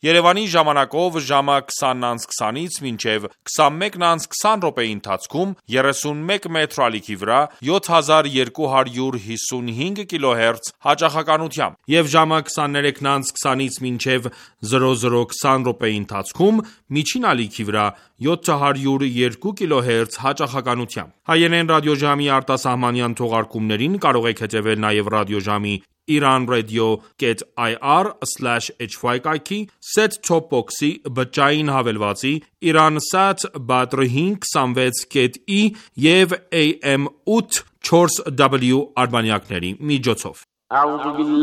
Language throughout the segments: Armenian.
Երևանի ժամանակով ժամը 20:20-ից մինչև 21:20 րոպեի ընթացքում 31 մետր ալիքի վրա 7255 կիլոհերց հաճախականությամբ եւ ժամը 23:20-ից մինչև 00:20 րոպեի ընթացքում միջին ալիքի վրա 702 կիլոհերց հաճախականությամբ։ Հայերեն ռադիոժամի արտասահմանյան թողարկումներին կարող եք հետևել նաև ռադիոժամի iranradio.ir/hy կայքի, set-top box-ի, բջջային հավելվածի, Iransat Badr 526.E եւ AM 840W արբանյակների միջոցով։ Հանուն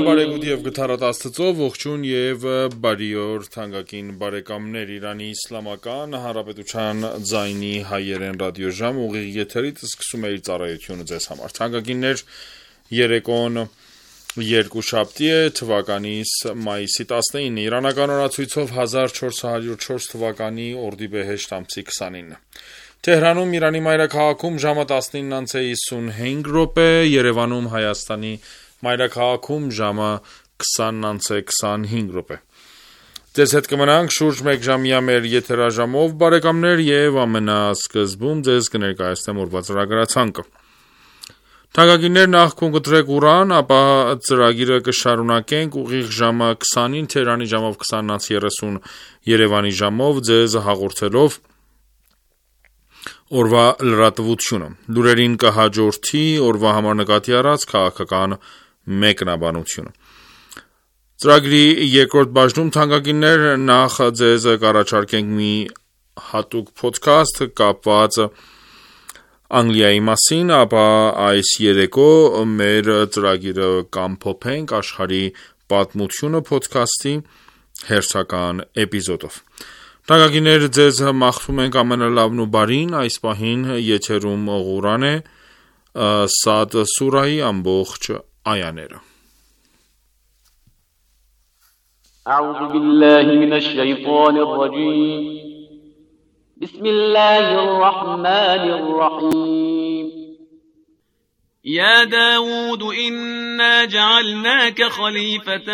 բարեգութ եւ գթառատ Աստծո, ողջույն եւ բարի օր թանկագին բարեկամներ, Իրանի Իսլամական Հանրապետության ձայնի հայերեն ռադիոժամ ուղիղ եթերից սկսում է իր ծառայությունը ձեզ համար։ Թանկագիններ, երեկոն երկուշաբթի է, թվականիս մայիսի 19, իրանական օրացույցով 1404 թվականի օրդիբեհեշտ ամսի 29։ Թեհրանում Իրանի մայրաքաղաքում ժամը 19:55 րոպե, Երևանում Հայաստանի մայրաքաղաքում ժամը 20:25 րոպե։ Ձեզ հետ կմնանք շուրջ 1 ժամյա մեր եթերաժամով, բարեկամներ, եւ ամենասկզբում ձեզ կներկայացնեմ օրվա ծրագրացանկը։ Թանկագիններ, նախ կընտրեք Ղուրան, ապա ծրագիրը կշարունակենք ուղիղ ժամը 20-ին Թեհրանի ժամով 20:30 Երևանի ժամով ձեզ հաղորդելով օրվա լրատվությունը։ Լուրերին կհաջորդի օրվա համար նկատի առած քաղաքական մեկնաբանությունը։ Ծրագրի երկրորդ բաժնում թանկագիններ, նախ ձեզ կառաջարկենք մի հատուկ ոդքասթ կապված Անգլիայի մասին, ապա այս երեկո մեր ծրագիրը կամփոփենք աշխարհի պատմությունը ոդքասթի հերթական էպիզոդով։ Թանկագիններ, ձեզ մաղթում ենք ամենալավն ու բարին, այս պահին եթերում Ղուրան է, Սադ սուրայի ամբողջ այաները։ أعوذ بالله من الشيطان الرجيم بسم الله الرحمن الرحيم يا داود إنا جعلناك خليفة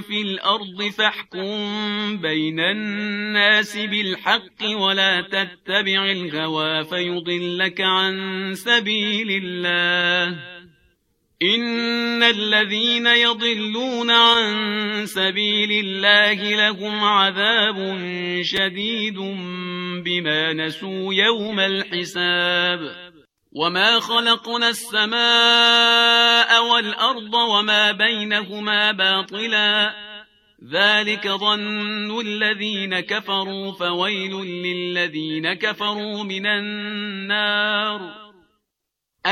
في الأرض فاحكم بين الناس بالحق ولا تتبع الهوى فيضلك عن سبيل الله إن الذين يضلون عن سبيل الله لهم عذاب شديد بما نسوا يوم الحساب وما خلقنا السماء والأرض وما بينهما باطلا ذلك ظن الذين كفروا فويل للذين كفروا من النار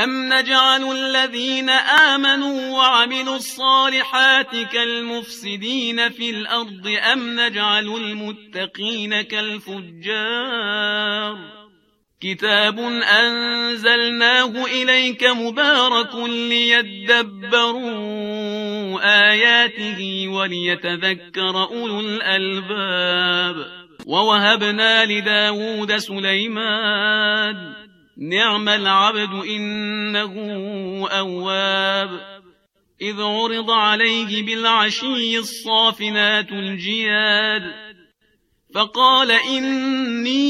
أم نجعل الذين آمنوا وعملوا الصالحات كالمفسدين في الأرض أم نجعل المتقين كالفجار كتاب أنزلناه إليك مبارك ليدبروا آياته وليتذكر أولو الألباب ووهبنا لداود سليمان نعم العبد إنه أواب إذ عرض عليه بالعشي الصافنات الجياد فقال إني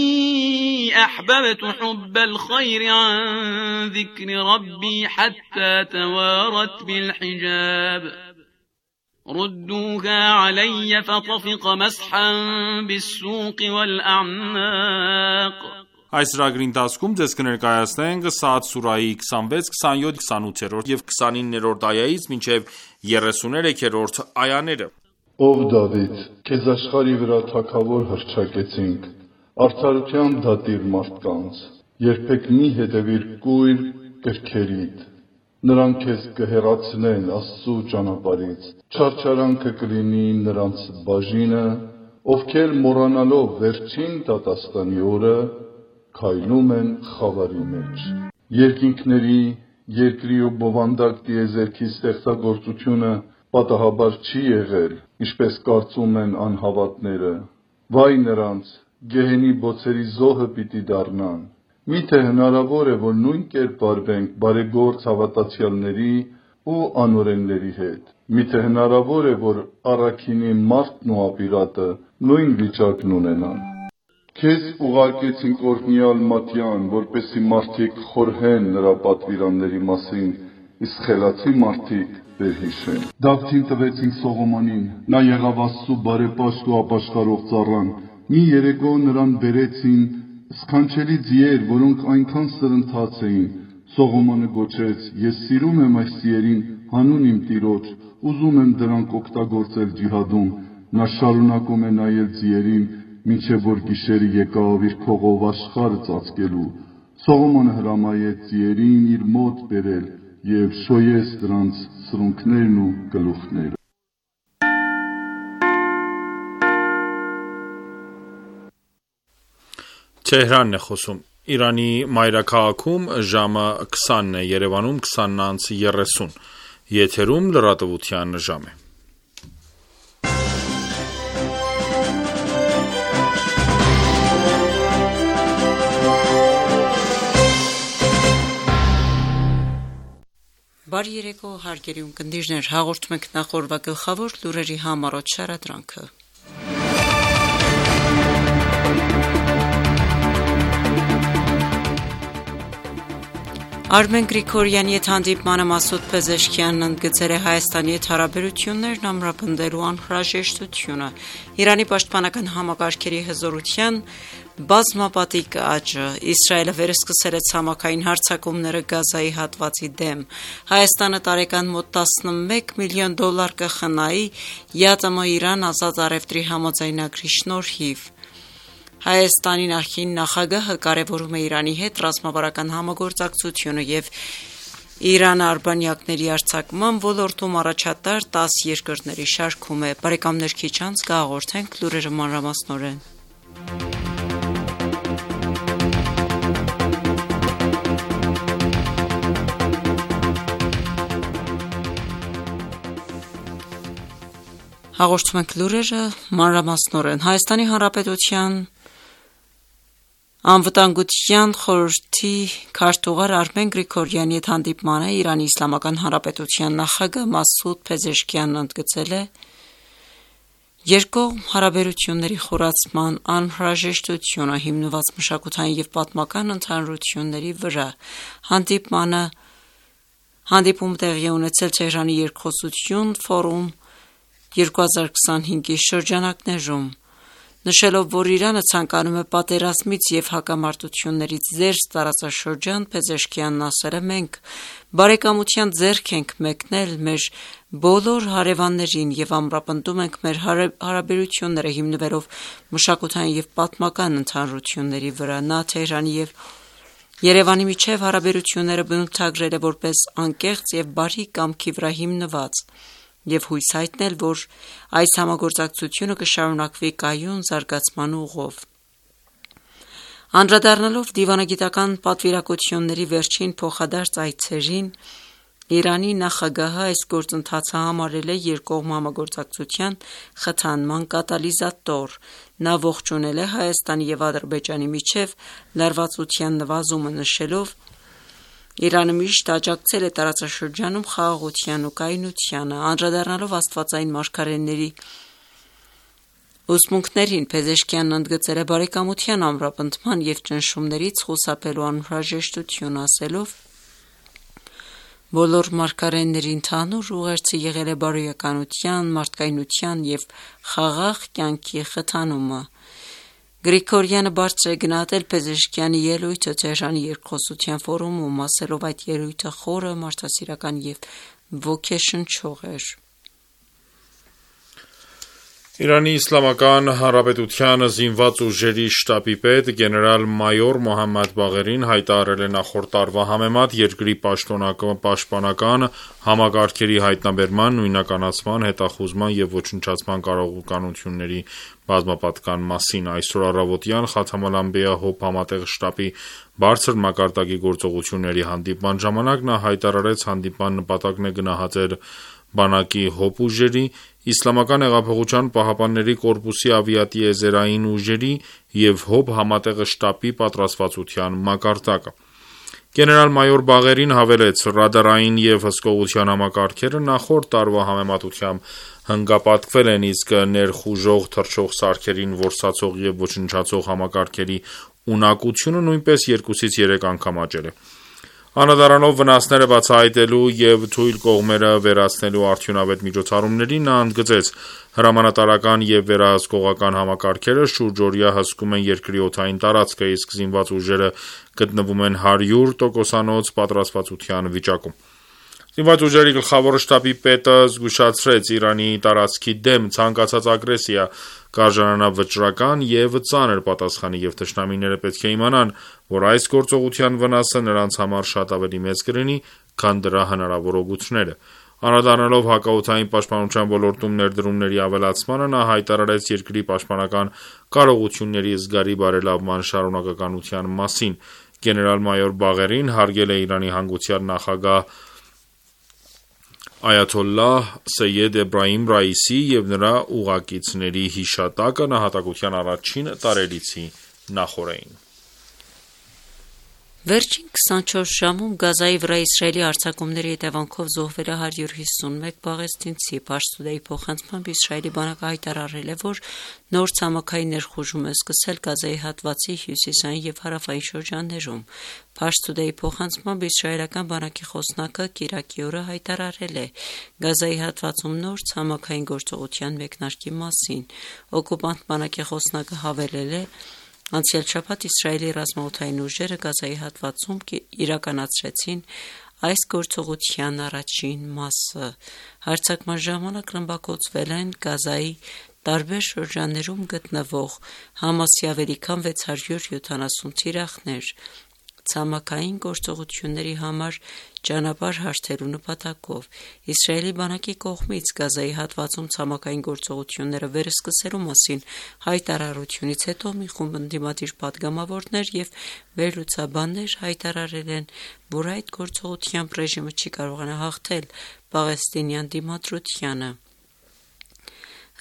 أحببت حب الخير عن ذكر ربي حتى توارت بالحجاب ردوها علي فطفق مسحا بالسوق والأعناق Այս ծրագրի ընթացքում ձեզ կներկայացնենք Սադ սուրայի 26, 27, 28 եւ 29-րդ այայից մինչև 33-րդ այաները։ Ով Դավիթ, քեզ աշխարհի վրա թագավոր հռչակեցինք, արդարությամբ դատիր մարդկանց, երբեք մի հետևիր կույր կրքերիդ, նրանք քեզ կհեռացնեն Աստծու ճանապարհից, չարչարանքը կլինի նրանց բաժինը, ովքեր մոռանալով վերջին դատաստանի օրը քայլում են խավարի մեջ։ Երկինքների, երկրի ու բովանդակ տիեզերքի ստեղծագործությունը պատահաբար չի եղել, ինչպես կարծում են անհավատները։ Վայ նրանց, գեհենի բոցերի զոհը պիտի դառնան։ Միթե հնարավոր է, որ նույն կերպ վարվենք բարեգործ հավատացյալների ու անօրենների հետ։ Միթե հնարավոր է, որ առաքինի մարդն ու ապիրատը նույն վիճակն ունենան։ Քեզ ուղարկեցինք օրհնյալ Մատյան, որպեսզի մարդիկ խորհեն նրա պատվիրանների մասին, իսկ խելացի մարդիկ վերհիշեն։ Դավթին տվեցինք Սողոմոնին, նա եղավ Աստծու բարեպաշտ ու ապաշխարող ծառան։ Մի երեկո նրան բերեցին սքանչելի ձիեր, որոնք այնքան սրընթաց էին։ Սողոմոնը գոչեց. «Ես սիրում եմ այս ձիերին հանուն իմ Տիրոջ, ուզում եմ դրանք օգտագործել ջիհադում»։ Նա շարունակում է նայել ձիերին, մինչև որ գիշերը եկավ իր քողով աշխարհը ծածկելու։ Սողոմոնը հրամայեց ձիերին իր մոտ բերել և շոյեց դրանց սրունքներն ու գլուխները։ Թեհրանն է խոսում։ Իրանի մայրաքաղաքում ժամը 20-ն է, Երևանում 20:30։ Եթերում լրատվության ժամ է։ Բարի երեկո, հարգելի ունկնդիրներ, հաղորդում ենք նախորդ գլխավոր լուրերի համառոտ շարադրանքը։ Արմեն Գրիգորյանի հետ հանդիպմանը Մասուդ Փեզեշքյանն ընդգծել է Հայաստանի հետ հարաբերություններն ամրապնդելու անհրաժեշտությունը, Իրանի պաշտպանական համակարգերի հզորության բազմապատիկ աճը, Իսրայելը վերսկսել է ցամաքային հարձակումները Գազայի հատվածի դեմ, Հայաստանը տարեկան մոտ $11 միլիոն կխնայի ԵԱՏՄ-Իրան ազատ առևտրի համաձայնագրի շնորհիվ։ Հայաստանի նախկին նախագահը կարևորում է Իրանի հետ ռազմավարական համագործակցությունը և Իրանը արբանյակների արձակման ոլորտում առաջատար 10 երկրների շարքում է։ Բարեկամներ, քիչ անց կհաղորդենք լուրերը մանրամասնորեն։ Հաղորդում ենք լուրերը մանրամասնորեն։ Հայաստանի Հանրապետության Անվտանգության խորհրդի քարտուղար Արմեն Գրիգորյանի հետ հանդիպմանը Իրանի Իսլամական Հանրապետության նախագահ Մասուդ Փեզեշքյանն ընդգծել է երկկողմ հարաբերությունների խորացման անհրաժեշտությունը հիմնված մշակութային և պատմական ընդհանրությունների վրա։ Հանդիպում տեղի ունեցել Թեհրանի երկխոսություն ֆորում 2025-ի շրջանակներում, նշելով, որ Իրանը ցանկանում է պատերազմից և հակամարտություններից զերծ տարածաշրջան, Փեզեշքյանն ասել է. «Մենք բարեկամության ձեռք ենք մեկնել մեր բոլոր հարևաններին և ամրապնդում ենք մեր հարաբերությունները հիմնվելով մշակութային և պատմական ընդհանրությունների վրա»։ Նա Թեհրանի և Երևանի միջև հարաբերությունները բնութագրել է որպես անկեղծ և բարի կամքի վրա հիմնված և հույս հայտնել, որ այս համագործակցությունը կշարունակվի կայուն զարգացման ուղով։ Անդրադառնալով դիվանագիտական պատվիրակությունների վերջին փոխադարձ այցերին, Իրանի նախագահը այս գործընթացը համարել է երկկողմ համագործակցության խթանման կատալիզատոր։ Նա ողջունել է Հայաստանի և Ադրբեջանի միջև լարվածության նվազումը, նշելով. «Իրանը միշտ աջակցել է տարածաշրջանում խաղաղության ու կայունությանը»։ Անդրադառնալով աստվածային մարգարեների ուսմունքներին, Փեզեշքյանն ընդգծել է բարեկամության ամրապնդման և ճնշումներից խուսափելու անհրաժեշտությունը, ասելով. «Բոլոր մարգարեների ընդհանուր ուղերձը եղել է բարոյականության, մարդկայնության և խաղաղ կյանքի խթանումը»։ Գրիգորյանը բարձր է գնահատել Փեզեշքյանի ելույթը Թեհրանի երկխոսության ֆորումում, ասելով. «Այդ ելույթը խորը, մարդասիրական և ոգեշնչող էր»։ Իրանի Իսլամական Հանրապետության զինված ուժերի շտաբի պետ գեներալ-մայոր Մոհամմադ Բաղերին հայտարարել է նախորդ տարվա համեմատ երկրի պաշտպանական համակարգերի հայտնաբերման, նույնականացման, հետախուզման և ոչնչացման կարողությունների բազմապատկան մասին։ Այսօր առավոտյան Խաթամ ալ-Անբիա ՀՕՊ համատեղ շտաբի բարձր մակարդակի գործողությունների հանդիպման ժամանակ նա հայտարարեց հանդիպման նպատակն է գնահատել բանակի ՀՕՊ ուժերի, Իսլամական հեղափոխության պահապանների կորպուսի ավիատիեզերային ուժերի և ՀՕՊ համատեղ շտաբի պատրաստվածության մակարդակը։ Գեներալ-մայոր Բաղերին հավելեց, ռադարային և հսկողության համակարգերը նախորդ տարվա համեմատությամբ հնգապատկվել են, իսկ ներխուժող թռչող սարքերին որսացող և ոչնչացող համակարգերի ունակությունը նույնպես 2-ից 3 անգամ աճել է։ Անդրադառնալով վնասները բացահայտելու և թույլ կողմերը վերացնելու արդյունավետ միջոցառումներին, նա ընդգծեց. հրամանատարական և վերահսկողական համակարգերը շուրջօրյա հսկում են երկրի օդային տարածքը, իսկ զինված ուժերը գտնվում են 100% պատրաստվածության վիճակում։ Զինված ուժերի գլխավոր շտաբի պետը զգուշացրեց. Իրանի տարածքի դեմ ցանկացած ագրեսիա կարժանանա վճռական և ծանր պատասխանի, և թշնամիները պետք է իմանան, որ այս գործողության վնասը նրանց համար շատ ավելի մեծ կլինի, քան դրա հնարավոր օգուտները։ Անդրադառնալով հակաօդային պաշտպանության ոլորտում ներդրումների ավելացմանը, նա հայտարարեց երկրի պաշտպանական կարողությունների զգալի բարելավման շարունակականության մասին։ Գեներալ-մայոր Բաղերին հարգել է Իրանի հանգուցյալ նախագահ Այաթոլլահ Սեյեդ Էբրահիմ Ռայիսի և նրա ուղեկիցների հիշատակը նահատակության առաջին տարելիցի նախօրեին։ Վերջին 24 ժամում Գազայի վրա Իսրայելի արձակումների հետևանքով զոհվել է 151 պաղեստինցի։ Փարս-Թուդեյի փոխանցմամբ Իսրայելի բանակը հայտարարել է, որ նոր ցամաքային ներխուժում է սկսել Գազայի հատվածի հյուսիսային և հարավային շրջաններում։ Փարս-Թուդեյի փոխանցմամբ իսրայելական բանակի խոսնակը կիրակի օրը հայտարարել է Գազայի հատվածում նոր ցամաքային գործողության մեկնարկի մասին։ Օկուպանտ բանակի խոսնակը հավելել է. Անցյալ շաբաթ Իսրայելի ռազմաօդային ուժերը Գազայի հատվածում իրականացրեցին այս գործողության առաջին մասը։ Հարձակման ժամանակ ռմբակոծվել են Գազայի տարբեր շրջաններում գտնվող Համասի ավելի քան 670 թիրախներ։ Ցամաքային գործողությունների համար ճանապարհ հարթելու նպատակով Իսրայելի բանակի կողմից Գազայի հատվածում ցամաքային գործողությունները վերսկսելու մասին հայտարարությունից հետո մի խումբ ընդդիմադիր պատգամավորներ և վերլուծաբաններ հայտարարել են, որ այդ գործողությամբ ռեժիմը չի կարողանա հաղթել պաղեստինյան դիմադրությանը։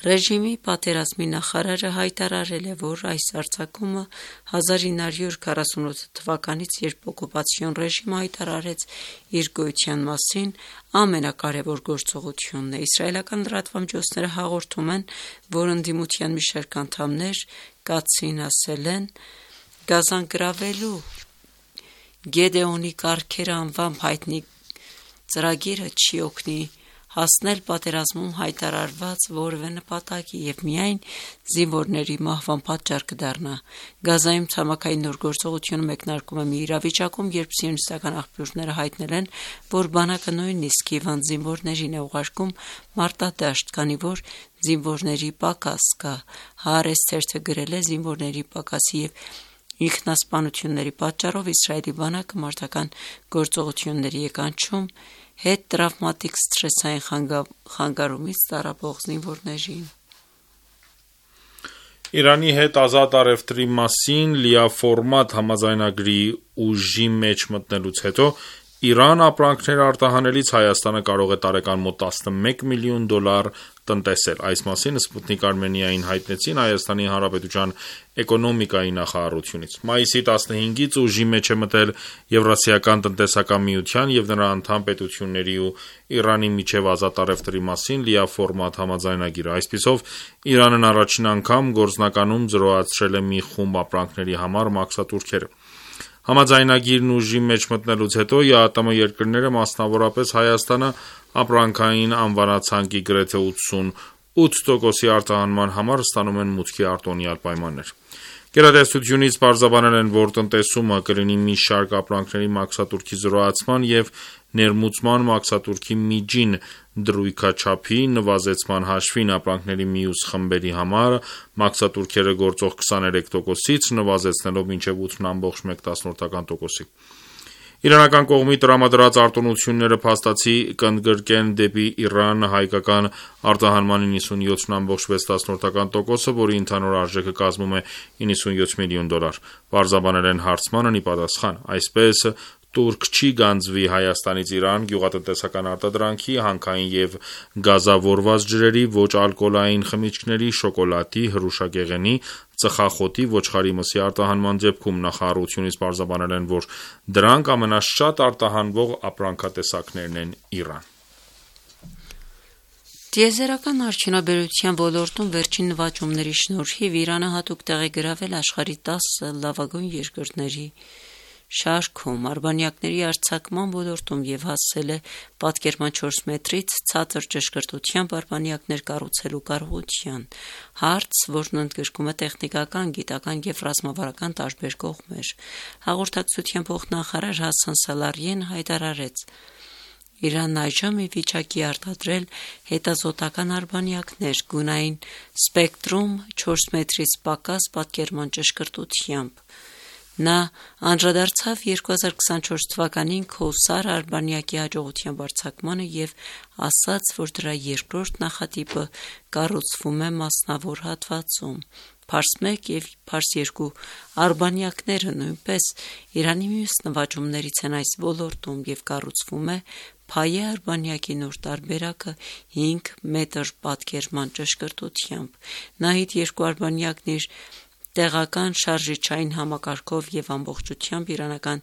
Ռեժիմի պատերազմի նախարարը հայտարարել է, որ այս արձակումը 1948 թվականից, երբ օկուպացիոն ռեժիմը հայտարարեց իր գոյության մասին, ամենակարևոր գործողությունն է։ Իսրայելական լրատվամիջոցները հաղորդում են, որ ընդդիմության մի շարք անդամներ կացին ասել են. Գազան գրավելու Գեդեոնի կառքերը անվամբ հայտնի ծրագիրը չի օգնի հասնել պատերազմում հայտարարված որևէ նպատակի և միայն զինվորների մահվան պատճառ կդառնա։ Գազայում ցամաքային նոր գործողությունը մեկնարկում է մի իրավիճակում, երբ սիոնիստական աղբյուրները հայտնել են, որ բանակը նույնիսկ հիվանդ զինվորներին է ուղարկում մարտադաշտ, քանի որ զինվորների պակաս կա։ Հaaretz թերթը գրել է. զինվորների պակասի և ինքնասպանությունների պատճառով Իսրայելի բանակը մարտական գործողությունների է կանչում հետտրավմատիկ սթրեսային խանգարումից տառապող զինվորներին։ Իրանի հետ ազատ առևտրի մասին լիաֆորմատ համաձայնագրի ուժի մեջ մտնելուց հետո Իրան ապրանքներ արտահանելիս Հայաստանը կարող է տարեկան մոտ $11 միլիոն տնտեսել։ Այս մասին Սպուտնիկ Արմենիային հայտնեցին Հայաստանի Հանրապետության էկոնոմիկայի նախարարությունից։ Մայիսի 15-ից ուժի մեջ է մտել Եվրասիական տնտեսական միության և նրա անդամ պետությունների ու Իրանի միջև ազատ առևտրի մասին լիաֆորմատ համաձայնագիրը։ Այսպիսով, Իրանն առաջին անգամ գործնականում զրոացրել է մի խումբ ապրանքների համար մաքսատուրքերը։ Համաձայնագիրն ուժի մեջ մտնելուց հետո ԵԱՏՄ երկրները, մասնավորապես Հայաստանը, ապրանքային անվանացանկի գրեթե 88%-ի արտահանման համար ստանում են մուտքի արտոնյալ պայմաններ։ Գերատեսչությունից պարզաբանել են, որ տնտեսումը կլինի մի շարք ապրանքների մաքսատուրքի զրոացման և ներմուծման մաքսատուրքի միջին դրույքաչափի նվազեցման հաշվին, ապրանքների մյուս խմբերի համար մաքսատուրքերը գործող 23%-ից նվազեցնելով մինչև 8,1%-ի։ Իրանական կողմի տրամադրած արտոնությունները փաստացի կընդգրկեն դեպի Իրան հայկական արտահանման 97,6%, որի ընդհանուր արժեքը կազմում է $97 միլիոն։ Պարզաբանել են հարցմանն ի պատասխան։ Այսպես, տուրք չի գանձվի Հայաստանից Իրան գյուղատնտեսական արտադրանքի, հանքային եւ գազավորված ջրերի, ոչ ալկոհոլային խմիչքների, շոկոլադի, հրուշագեղենի, ծխախոտի, ոչխարի մսի արտահանման դեպքում նախարարությունից պարզաբանել են, որ դրանք ամենաշատ արտահանվող ապրանքատեսակներն են Իրան։ Տիեզերական արդյունաբերության ոլորտում վերջին նվաճումների շնորհիվ Իրանը հատուկ տեղ է գրավել աշխարհի 10 լավագույն երկրների շարքում արբանյակների արձակման ոլորտում եւ հասել է պատկերման 4 մետրից ցածր ճշգրտությամբ արբանյակներ կառուցելու կարողության, հարց, որն ընդգրկում է տեխնիկական, գիտական եւ ռազմավարական տարբեր կողմեր։ Հաղորդակցության փոխնախարար Հասան Սալարիեն հայտարարեց. Իրանն այժմ ի վիճակի արտադրել հետազոտական արբանյակներ գունային սպեկտրում 4 մետրից պակաս պատկերման ճշգրտությամբ։ Նա անդրադարձավ 2024 թվականին Քոսար արբանյակի հաջողության արձակմանը եւ ասաց, որ դրա երկրորդ նախատիպը կառուցվում է մասնավոր հատվածում։ Փարս 1 եւ Փարս 2 արբանյակները նույնպես Իրանի մյուս նվաճումներից են այս ոլորտում եւ կառուցվում է Փայե արբանյակի նոր տարբերակը 5 մետր պատկերման ճշգրտությամբ։ Նահիդ 2 արբանյակն իր տեղական շարժիչային համակարգով եւ ամբողջությամբ իրանական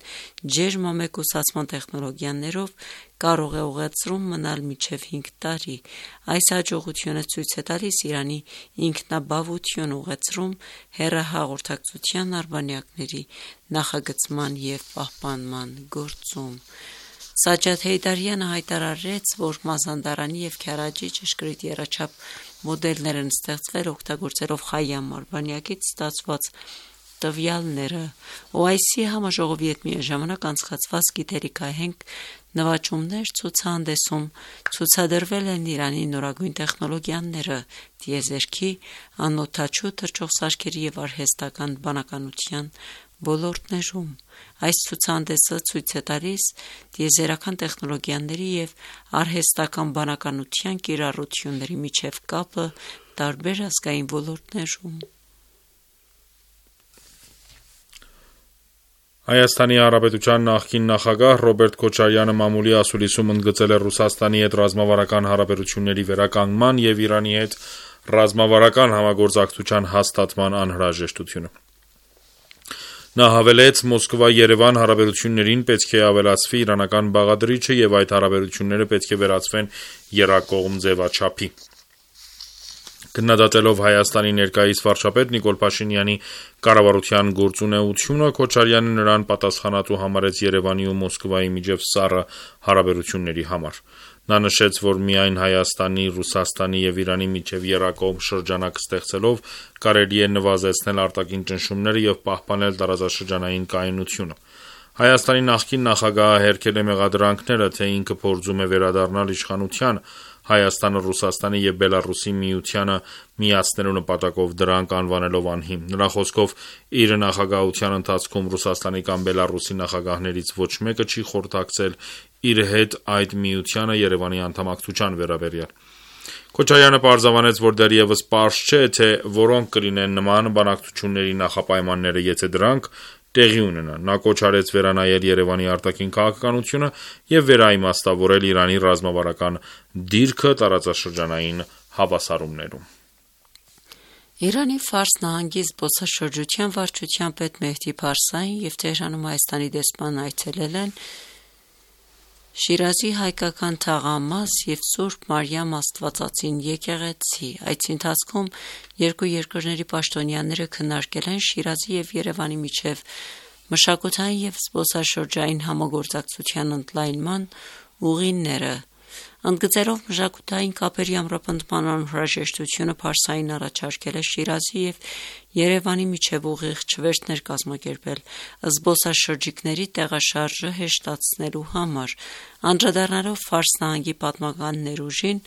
ջերմամեկուսացման տեխնոլոգիաներով կարող է ուղեցրում մնալ մինչև 5 տարի։ Այս հաջողությունը ցույց է տալիս Իրանի ինքնաբավություն ուղեցրում հեռահաղորդակցության արբանյակների նախագծման եւ պահպանման գործում։ Սաջադ Հեյդարյանը հայտարարեց, որ Մազանդարանի եւ Քարաջի ճշգրիտ եռաչափ մոդելներ են ստեղծվել օգտագործելով Խայամ արբանյակից ստացված տվյալները։ OIC համաժողովի հետ միաժամանակ անցկացված գիտելիքահենք նվաճումներ ցուցահանդեսում ցուցադրվել են Իրանի նորագույն տեխնոլոգիաները, տիեզերքի, անօդաչու թռչող սարքերի եւ արհեստական բանականության ոլորտներում։ Այս ցուցահանդեսը ցույց է տալիս տիեզերական տեխնոլոգիաների եւ արհեստական բանականության կիրառությունների միջև կապը տարբեր ազգային ոլորտներում։ Հայաստանի Հանրապետության նախկին նախագահ Ռոբերտ Քոչարյանը մամուլի ասուլիսում ընդգծել է Ռուսաստանի հետ ռազմավարական հարաբերությունների վերականգնման եւ Իրանի հետ ռազմավարական համագործակցության հաստատման անհրաժեշտությունը։ Նա հավելեց, Մոսկվա-Երևան հարաբերություններին պետք է ավելացվի իրանական բաղադրիչը եւ այդ հարաբերությունները պետք է վերածվեն եռակողմ ձևաչափի։ Քննադատելով Հայաստանի ներկայիս վարչապետ Նիկոլ Փաշինյանի կառավարության գործունեությունը, Քոչարյանը նրան պատասխանատու համարեց Երևանի ու Մոսկվայի միջև սառը հարաբերությունների համար։ Նա նշեց, որ միայն Հայաստանի, Ռուսաստանի եւ Իրանի միջև եռակողմ շրջանակ ստեղծելով կարելի է նվազեցնել արտաքին ճնշումները եւ պահպանել տարածաշրջանային կայունությունը։ Հայաստանի նախկին նախագահը հերքել է մեղադրանքները, թե ինքը փորձում է վերադառնալ իշխանության, Հայաստանը Ռուսաստանի եւ Բելարուսի միությանը միացնելու նպատակով դրանք անվանելով անհիմն։ Նրա խոսքով իր նախագահության ընթացքում Ռուսաստանի կամ Բելարուսի նախագահներից ոչ մեկը չի խորհրդակցել իր հետ այդ միությանը Երևանի անդամակցության վերաբերյալ։ Քոչարյանը պարզաբանեց, որ դեռևս պարզ չէ, թե որոնք կլինեն նման բանակցությունների նախապայմանները, եթե դրանք տեղի ունենան։ Նա կոչ արեց վերանայել Երևանի արտաքին քաղաքականությունը եւ վերաիմաստավորել Իրանի ռազմավարական դիրքը տարածաշրջանային հավասարումներում։ Իրանի Ֆարս նահանգի զբոսաշրջության վարչության պետ Մեհդի Փարսային եւ Թեհրանում Հայաստանի դեսպան այցելել են Շիրազի հայկական թաղամաս եւ Սուրբ Մարիամ Աստվածածին եկեղեցի։ Այցի ընթացքում երկու երկրների պաշտոնյաները քննարկել են Շիրազի եւ Երևանի միջև մշակութային եւ զբոսաշրջային համագործակցության ընդլայնման ուղիները։ Ընդգծելով մշակութային կապերի ամրապնդման անհրաժեշտությունը, Փարսային առաջարկել է Շիրազի եւ Երևանի միջև ուղիղ չվերթներ կազմակերպել զբոսաշրջիկների տեղաշարժը հեշտացնելու համար։ Անդրադառնալով Ֆարս նահանգի պատմական ներուժին,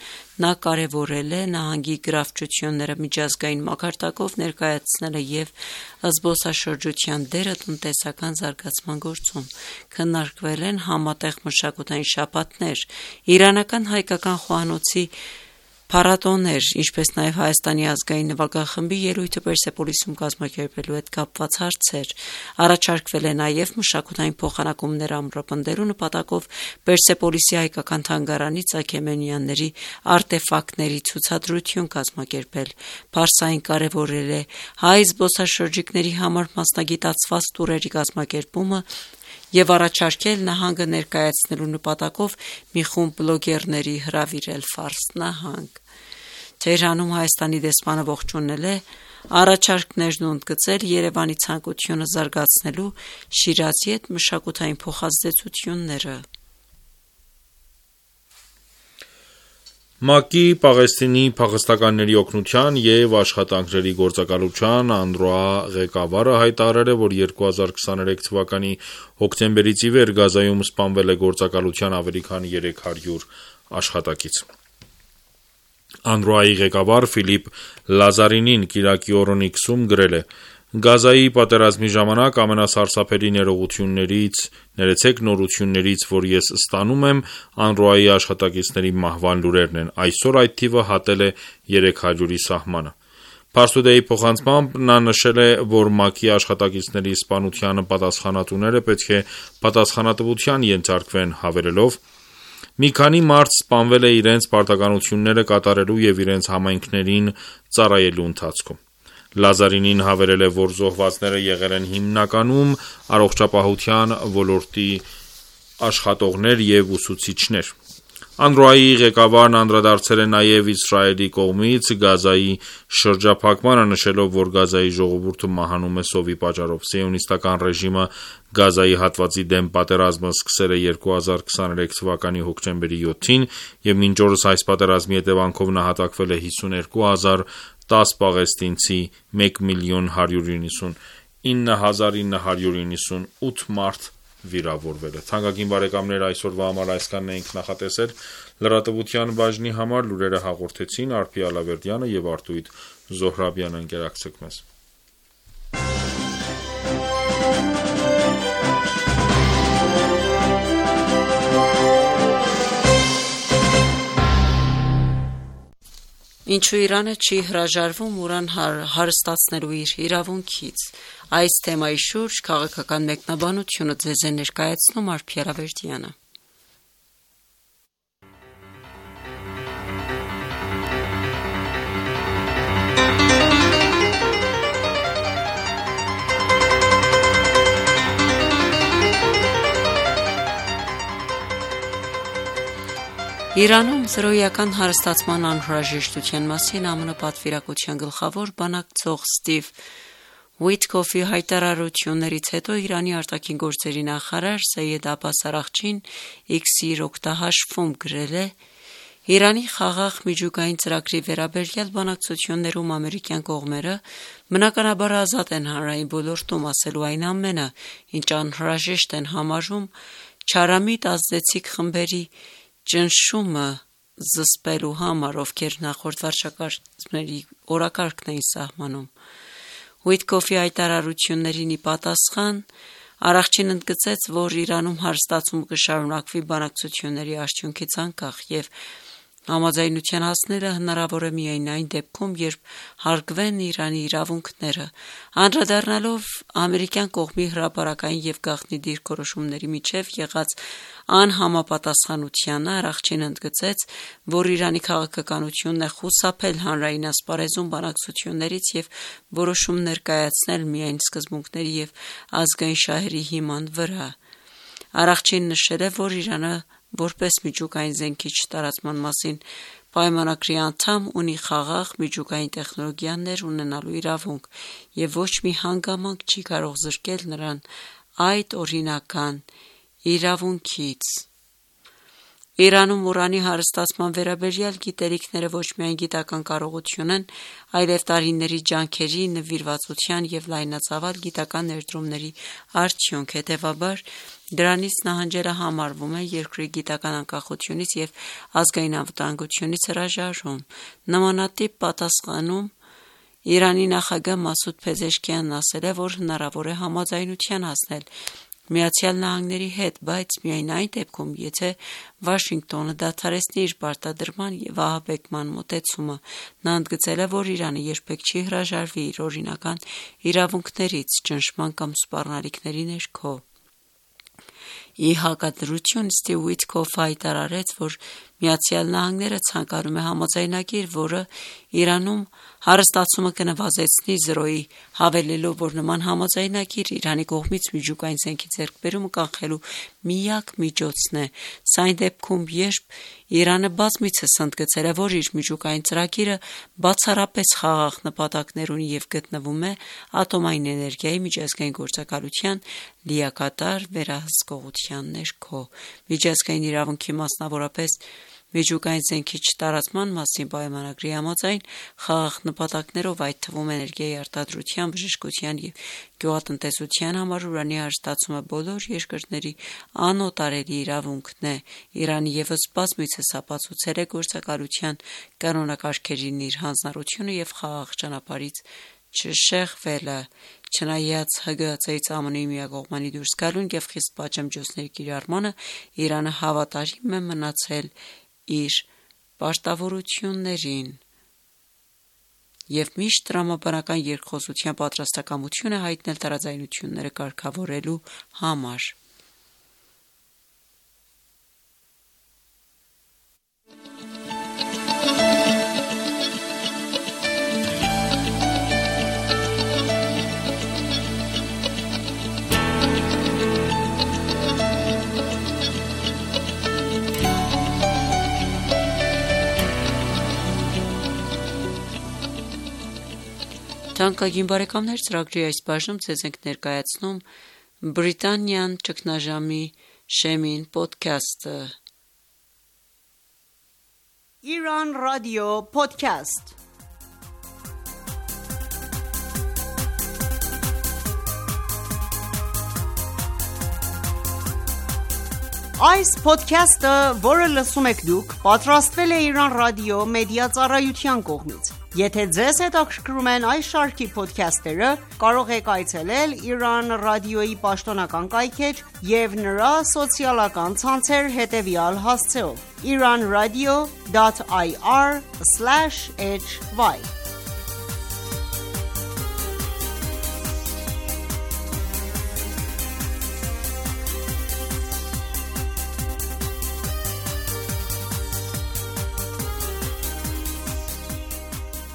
նա կարևորել է նահանգի գրավչությունները միջազգային մակարդակով ներկայացնելը եւ զբոսաշրջության դերը տնտեսական զարգացման գործում։ Քննարկվել են համատեղ մշակութային շաբաթներ, իրանական հայկական խոհանոցի Փառատոներ, ինչպես նաև Հայաստանի ազգային նվագախմբի ելույթը Պերսեպոլիսում կազմակերպելու հետ կապված հարցեր։ Առաջարկվել է նաև մշակութային փոխանակումներ ամրապնդելու նպատակով Պերսեպոլիսի հայկական թանգարանի Ծագեմենյանների արտեֆակտների ցուցադրություն կազմակերպել։ Փարսային կարևորել է հայ զբոսաշրջիկների համար մասնագիտացված տուրերի կազմակերպումը և առաջարկել նահանգը ներկայացնելու նպատակով մի խումբ բլոգերների հրավիրել Ֆարս նահանգ։ Թեհրանում Հայաստանի դեսպանը ողջունել է առաջարկներն ու ընդգծել Երևանի ցանկությունը զարգացնելու Շիրազի հետ մշակութային փոխազդեցությունները։ ՄԱԿ-ի Պաղեստինի փախստականների օգնության և աշխատանքների գործակալության UNRWA ղեկավարը հայտարարել է, որ 2023 թվականի հոկտեմբերից ի վեր Գազայում սպանվել է գործակալության ավելի քան 300 աշխատակից։ UNRWA-ի ղեկավար Ֆիլիպ Լազարինին կիրակի օրն X-ում գրել է. Գազայի պատերազմի ժամանակ ամենասարսափելի նորություններից, որ ես ստանում եմ, UNRWA-ի աշխատակիցների մահվան լուրերն են։ Այսօր այդ թիվը հատել է 300-ի սահմանը։ Փարսուդեի փոխանցմամբ նա նշել է, որ ՄԱԿ-ի աշխատակիցների սպանության պատասխանատուները պետք է պատասխանատվության ենթարկվեն, հավելելով. Մի քանի մարդ սպանվել է իրենց պարտականությունները կատարելու և իրենց համայնքներին ծառայելու ընթացքում։ Լազարինին հավելել է, որ զոհվածները եղել են հիմնականում առողջապահության ոլորտի աշխատողներ և ուսուցիչներ։ UNRWA-ի ղեկավարն անդրադարձել է նաև Իսրայելի կողմից Գազայի շրջափակմանը, նշելով, որ Գազայի ժողովուրդը մահանում է սովի պատճառով։ Սիոնիստական ռեժիմը Գազայի հատվածի դեմ պատերազմը սկսել է 2023 թվականի հոկտեմբերի 7-ին և մինչ օրս այս պատերազմի հետևանքով նահատակվել է 52,010 պաղեստինցի, 1,199,998 մարդ վիրավորվել է։ Թանկագին բարեկամներ, այսօրվա համար այսքանն էինք նախատեսել։ Լրատվության բաժնի համար լուրերը հաղորդեցին Արփի Ալավերդյանը և Արտույտ Զոհրաբյանը։ Ընկերակցեք մեզ։ Ինչու Իրանը չի հրաժարվում ուրան հարստացնելու իր իրավունքից։ Այս թեմայի շուրջ քաղաքական մեկնաբանությունը ձեզ է ներկայացնում Արփի Ալավերդյանը։ Իրանում զրոյական հարստացման անհրաժեշտության մասին ԱՄՆ պատվիրակության գլխավոր բանակցող Սթիվ Ուիթքոֆի հայտարարություններից հետո Իրանի արտաքին գործերի նախարար Սեյեդ Աբբաս Արաղչին X-ի իր օգտահաշվում գրել է. Իրանի խաղաղ միջուկային ծրագրի վերաբերյալ բանակցություններում ամերիկյան կողմերը բնականաբար ազատ են հանրային ոլորտում ասելու այն ամենը, ինչ անհրաժեշտ են համարում չարամիտ ազդեցիկ խմբերի ճնշումը զսպելու համար, ովքեր նախորդ վարչակազմերի օրակարգն էին սահմանում։ Ուիթքոֆի հայտարարություններին ի պատասխան Արաղչին ընդգծեց, որ Իրանում հարստացումը կշարունակվի բանակցությունների արդյունքից անկախ և համաձայնության հասնելը հնարավոր է միայն այն դեպքում, երբ հարգվեն Իրանի իրավունքները։ Անդրադառնալով ամերիկյան կողմի հրապարակային և գաղտնի դիրքորոշումների միջև եղած անհամապատասխանությանը, Արաղչին ընդգծեց, որ Իրանի քաղաքականությունն է խուսափել հանրային ասպարեզում բանակցություններից և որոշումներ կայացնել միայն սկզբունքների և ազգային շահերի հիման վրա։ Արաղչին նշել է, որ Իրանը որպես միջուկային զենքի չտարածման մասին պայմանագրի անդամ ունի խաղաղ միջուկային տեխնոլոգիաներ ունենալու իրավունք և ոչ մի հանգամանք չի կարող զրկել նրան այդ օրինական իրավունքից։ Իրանում ուրանի հարստացման վերաբերյալ գիտելիքները ոչ միայն գիտական կարողություն են, այլև տարիների ջանքերի, նվիրվածության և լայնածավալ գիտական ներդրումների արդյունք։ Հետևաբար, դրանից նահանջելը համարվում է երկրի գիտական անկախությունից և ազգային անվտանգությունից հրաժարում։ Նմանատիպ պատասխանում Իրանի նախագահ Մասուդ Փեզեշքյանն ասել է, որ հնարավոր է համաձայնության հասնել Միացյալ Նահանգների հետ, բայց միայն այն դեպքում, եթե Վաշինգտոնը դադարեցնի իր պարտադրման եւ ահաբեկման մոտեցումը։ Նա ընդգծել է, որ Իրանը երբեք չի հրաժարվի իր օրինական իրավունքներից ճնշման կամ սպառնալիքների ներքո։ Ի հակադրություն Ստիվ Ուիթքոֆը հայտարարեց, որ Միացյալ Նահանգները ցանկանում է համաձայնագիր, որը Իրանում հարստացումը կնվազեցնի զրոյի, հավելելով, որ նման համաձայնագիր Իրանի կողմից միջուկային զենքի ձեռքբերումը կանխելու միակ միջոցն է։ Սա այն դեպքում, երբ Իրանը բազմիցս ընդգծել է, որ իր միջուկային ծրագիրը բացառապես խաղաղ նպատակներ ունի եւ գտնվում է ատոմային էներգիայի միջազգային գործակալության լիակատար վերահսկողության ներքո։ Միջազգային իրավունքի, մասնավորապես միջուկային զենքի չտարածման մասին պայմանագրի համաձայն խաղաղ նպատակներով, այդ թվում էներգիայի արտադրության, բժշկության եւ գյուղատնտեսության համար ուրանի հարստացումը բոլոր երկրների անօտարելի իրավունքն է։ Իրանը եւս բազմիցս ապացուցել է գործակալության կանոնակարգերին իր հանձնառությունը եւ խաղաղ ճանապարհից չշեղվելը։ Չնայած ՀԳՀԾ-ից ԱՄՆ-ի միակողմանի դուրս գալուն եւ խիստ պատժամիջոցների կիրառմանը, Իրանը հավատարիմ է մնացել իր պարտավորություններին եւ միշտ տրամաբանական երկխոսության պատրաստակամություն է հայտնել տարաձայնությունները կարգավորելու համար։ Թանկագին բարեկամներ, ծրագրի այս բաժնում ձեզ ենք ներկայացնում Բրիտանիան ճգնաժամի շեմին պոդքասթը։ Iran Radio Podcast Այս podcast-ը, որը լսում եք դուք, պատրաստվել է Iran Radio մեդիա ծառայության կողմից։ Եթե ձեզ հետաքրքրում են այս շարքի փոդքասթերը, կարող եք այցելել Iran Radio-ի պաշտոնական կայքէջ եւ նրա սոցիալական ցանցեր հետեւյալ հասցեով. iranradio.ir/hy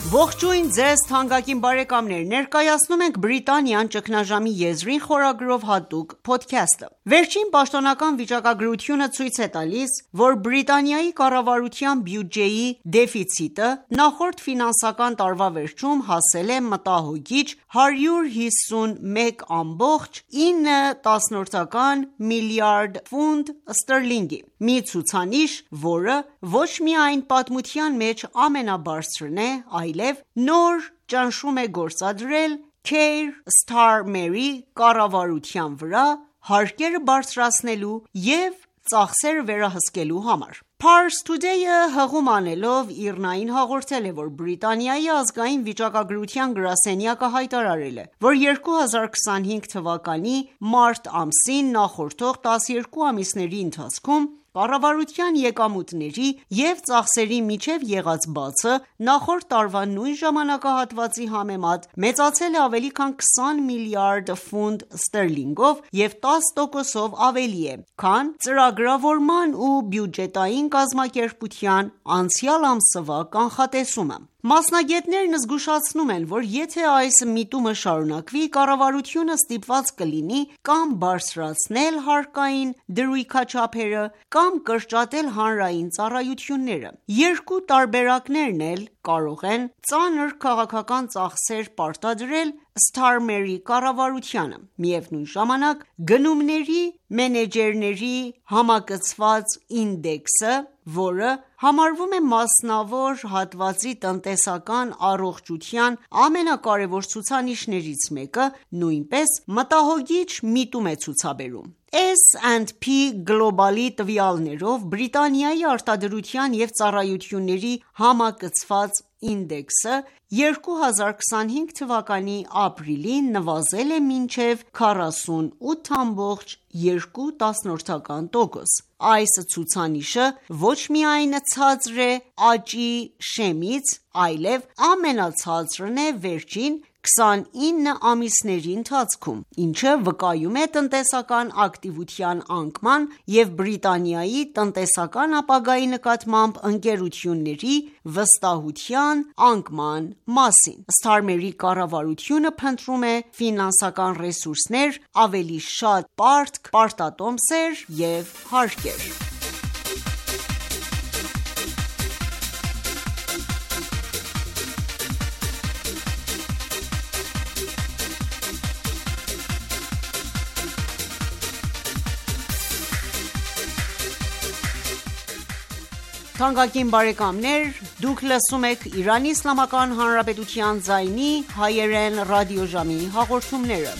Ողջույն ձեզ թանկագին բարեկամներ, ներկայացնում ենք Բրիտանիան ճգնաժամի եզրին խորագրով հատուկ փոդքասթը։ Վերջին պաշտոնական վիճակագրությունը ցույց է տալիս, որ Բրիտանիայի կառավարության բյուջեի դեֆիցիտը նախորդ ֆինանսական տարվա վերջում հասել է մտահոգիչ 151.9 միլիարդ ֆունտ ստերլինգի, մի ցուցանիշ, որը ոչ միայն պատմության մեջ ամենաբարձրն է, այլև նոր ճնշում է գործադրել Keir Starmerի կառավարության վրա հարկերը բարձրացնելու և ծախսերը վերահսկելու համար։ Pars Today-ը հղում անելով ԻՌՆԱ-ին հաղորդել է, որ Բրիտանիայի ազգային վիճակագրության գրասենյակը հայտարարել է, որ 2025 թվականի մարտ ամսին նախորդող 12 ամիսների ընթացքում կառավարության եկամուտների և ծախսերի միջև եղած բացը նախորդ տարվա նույն ժամանակահատվածի համեմատ մեծացել է ավելի քան 20 միլիարդ ֆունտ ստերլինգով և 10%-ով ավելի է, քան ծրագրավորման ու բյուջետային կազմակերպության անցյալ ամսվա կանխատեսումը։ Մասնագետներն զգուշացնում են, որ եթե այս միտումը շարունակվի, կառավարությունը ստիպված կլինի կամ բարձրացնել հարկային դրույքաչափերը, կամ կրճատել հանրային ծառայությունները։ Երկու տարբերակներն էլ կարող են ծանր քաղաքական ծախսեր պարտադրել Starmerի կառավարությանը։ Միևնույն ժամանակ, գնումների մենեջերների համակցված ինդեքսը, որը համարվում է մասնավոր հատվածի տնտեսական առողջության ամենակարևոր ցուցանիշներից մեկը, նույնպես մտահոգիչ միտում է ցուցաբերում։ S&P Global-ի տվյալներով Բրիտանիայի արտադրության և ծառայությունների համակցված ինդեքսը 2025 թվականի ապրիլին նվազել է մինչև 48.2%։ Այս ցուցանիշը ոչ միայն ցածր է աճի շեմից, այլև ամենացածրն է վերջին 29 ամիսների ընթացքում, ինչը վկայում է տնտեսական ակտիվության անկման և Բրիտանիայի տնտեսական ապագայի նկատմամբ ընկերությունների վստահության անկման մասին։ Սթարմերի կառավարությունը փնտրում է ֆինանսական ռեսուրսներ, ավելի շատ պարտք, պարտատոմսեր և հարկեր։ Թանկագին բարեկամներ, դուք լսում եք Իրանի Իսլամական Հանրապետության ձայնի հայերեն ռադիոժամի հաղորդումները։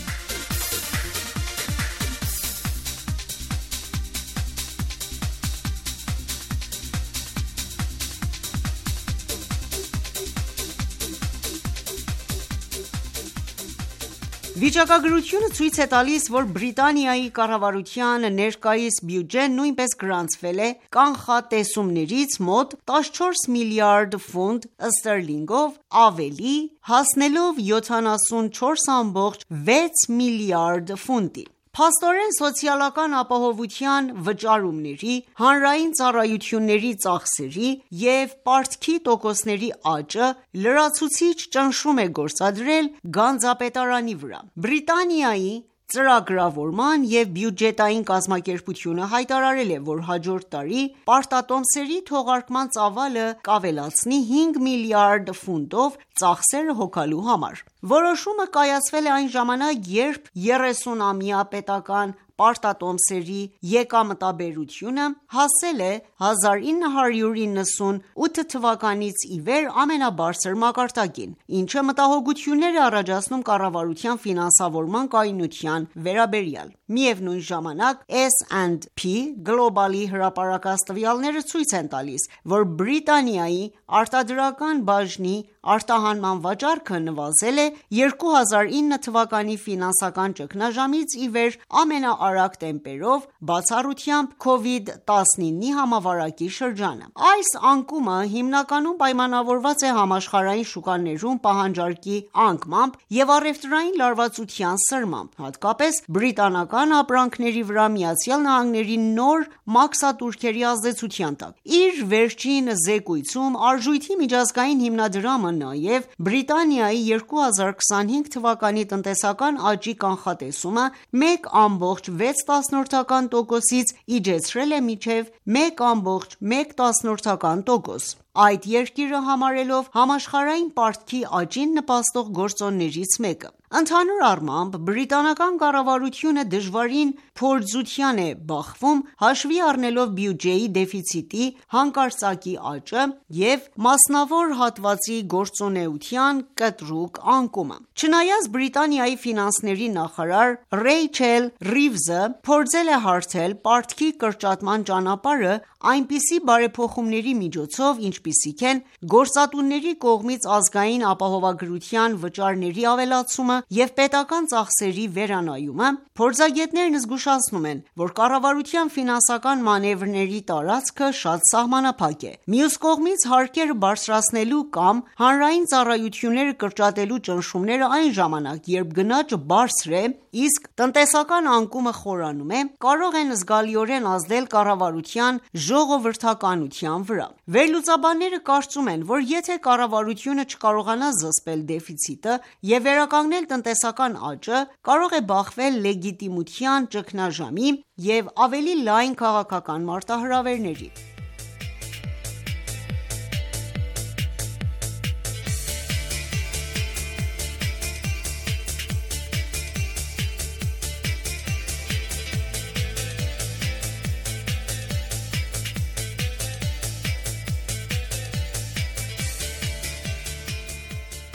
Վիճակագրությունը ցույց է տալիս, որ Բրիտանիայի կառավարության ներկայիս բյուջեն նույնպես գրանցվել է կանխատեսումներից մոտ 14 միլիարդ ֆունտ ստերլինգով ավելի, հասնելով 74.6 միլիարդ ֆունտի։ Փաստորեն, սոցիալական ապահովության վճարումների, հանրային ծառայությունների ծախսերի և պարտքի տոկոսների աճը լրացուցիչ ճնշում է գործադրել գանձապետարանի վրա։ Բրիտանիայի ծրագրավորման և բյուջետային կազմակերպությունը հայտարարել է, որ հաջորդ տարի պարտատոմսերի թողարկման ծավալը կավելացնի 5 միլիարդ ֆունտով ծախսերը հոգալու համար։ Որոշումը կայացվել է այն ժամանակ, երբ 30-ամյա պետական պարտատոմսերի եկամտաբերությունը հասել է 1998 թվականից ի վեր ամենաբարձր մակարդակին, ինչը մտահոգություններ է առաջացնում կառավարության ֆինանսավորման կայունության վերաբերյալ։ Միևնույն ժամանակ, S&P Global-ի հրապարակած տվյալները ցույց են տալիս, որ Բրիտանիայի արտադրական բաժնի արտահանման վաճառքը նվազել է 2009 թվականի ֆինանսական ճգնաժամից ի վեր ամենաարագ տեմպերով, բացառությամբ COVID-19-ի համավարակի շրջանը։ Այս անկումը հիմնականում պայմանավորված է համաշխարհային շուկաներում պահանջարկի անկմամբ և առևտրային լարվածության սրմամբ, հատկապես բրիտանական ապրանքների վրա ԱՄՆ-ի նոր մաքսատուրքերի ազդեցության տակ։ Իր վերջին զեկույցում Արժույթի միջազգային հիմնադրամը նաև Բրիտանիայի 2025 թվականի տնտեսական աճի կանխատեսումը 1.6%-ից իջեցրել է մինչև 1.1%։ Այդ երկիրը համարելով համաշխարհային պարտքի աճին նպաստող գործոններից մեկը։ Ընդհանուր առմամբ, բրիտանական կառավարությունը դժվարին փորձության է բախվում՝ հաշվի առնելով բյուջեի դեֆիցիտի հանկարծակի աճը և մասնավոր հատվածի գործունեության կտրուկ անկումը։ Չնայած Բրիտանիայի ֆինանսների նախարար Ռեյչել Ռիվզը փորձել է հարթել պարտքի կրճատման ճանապարհը այնպիսի բարեփոխումների միջոցով, ինչպիսիք են գործատուների կողմից ազգային ապահովագրության վճարների ավելացումը և պետական ծախսերի վերանայումը, փորձագետներն զգուշացնում են, որ կառավարության ֆինանսական մանևրների տարածքը շատ սահմանափակ է։ Մյուս կողմից, հարկերը բարձրացնելու կամ հանրային ծառայությունները կրճատելու ճնշումները այն ժամանակ, երբ գնաճը բարձր է, իսկ տնտեսական անկումը խորանում է, կարող են զգալիորեն ազդել կառավարության ժողովրդականության վրա։ Վերլուծաբանները կարծում են, որ եթե կառավարությունը չկարողանա զսպել դեֆիցիտը և վերականգնել տնտեսական աճը, կարող է բախվել լեգիտիմության ճգնաժամի և ավելի լայն քաղաքական մարտահրավերների։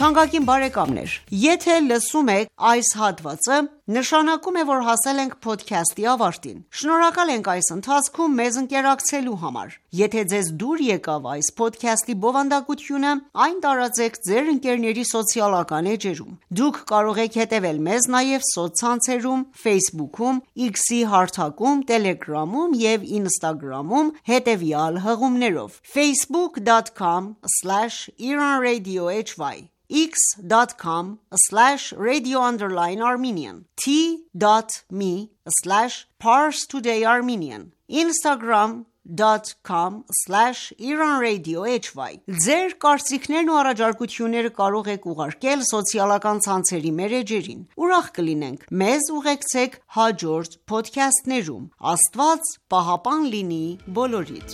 Թանկագին բարեկամներ, եթե լսում եք այս հատվածը, նշանակում է, որ հասել ենք podcast-ի ավարտին։ Շնորհակալ ենք այս ընթացքում մեզ ընկերակցելու համար։ Եթե ձեզ դուր եկավ այս podcast-ի բովանդակությունը, այն տարածեք ձեր ընկերների սոցիալական էջերում։ Դուք կարող եք հետևել մեզ նաև սոցցանցերում, Facebook-ում, X-ի հարթակում, Telegram-ում եւ Instagram-ում հետևյալ հղումներով. facebook.com/iranradiohy x.com/radio_Armenian t.me/parstoodayarmenian instagram.com/iranradiohy Ձեր կարծիքներն ու առաջարկությունները կարող եք ուղարկել սոցիալական ցանցերի մեր էջերին։ Ուրախ կլինենք մեզ ուղեկցեք հաջորդ փոդքասթներում։ Աստված պահապան լինի բոլորիդ։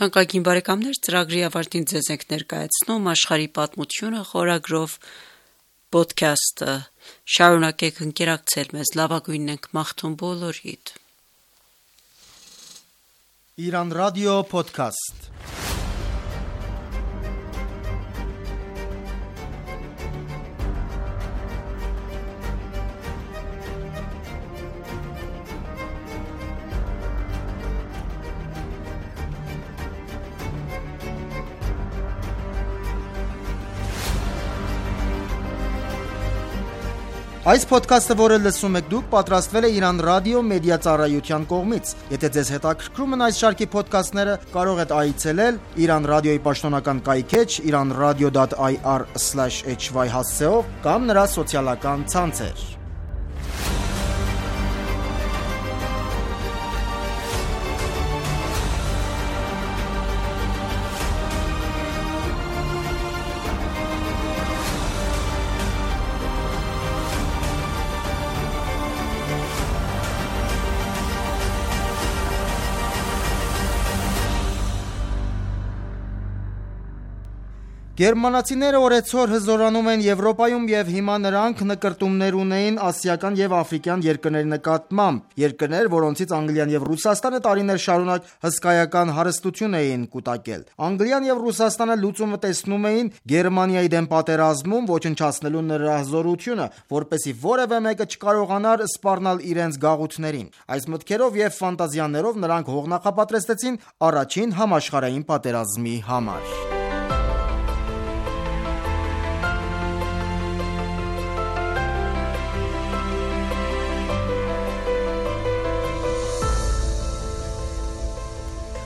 Թանկագին բարեկամներ, ծրագրի ավարտին ձեզ ենք ներկայացնում աշխարհի պատմությունը խորագրով podcast-ը։ Շարունակեք ընկերակցել մեզ, լավագույնն ենք մաղթում բոլորիդ։ Iran Radio Podcast Այս ոդքասթը, որը լսում եք դուք, պատրաստվել է Iran Radio մեդիա ծառայության կողմից։ Եթե ձեզ հետաքրքրում են այս շարքի ոդքասթները, կարող եք այցելել Iran Radio-ի պաշտոնական կայքէջ iranradio.ir/hy հասցեով կամ նրա սոցիալական ցանցեր։ Գերմանացիները օրեցօր հզորանում են Եվրոպայում եւ հիմա նրանք նկրտումներ ունեին ասիական եւ աֆրիկյան երկրների նկատմամբ, երկրներ, որոնցից Անգլիան եւ Ռուսաստանը տարիներ շարունակ հսկայական հարստություն էին կուտակել։ Անգլիան եւ Ռուսաստանը լուծումը տեսնում էին Գերմանիայի դեմ պատերազմում ոչնչացնելու նրա հզորությունը, որպեսզի որևէ մեկը չկարողանար սպառնալ իրենց գաղութներին։ Այս մտքերով եւ ֆանտազիաներով նրանք հող նախապատրաստեցին առաջին համաշխարհային պատերազմի համար։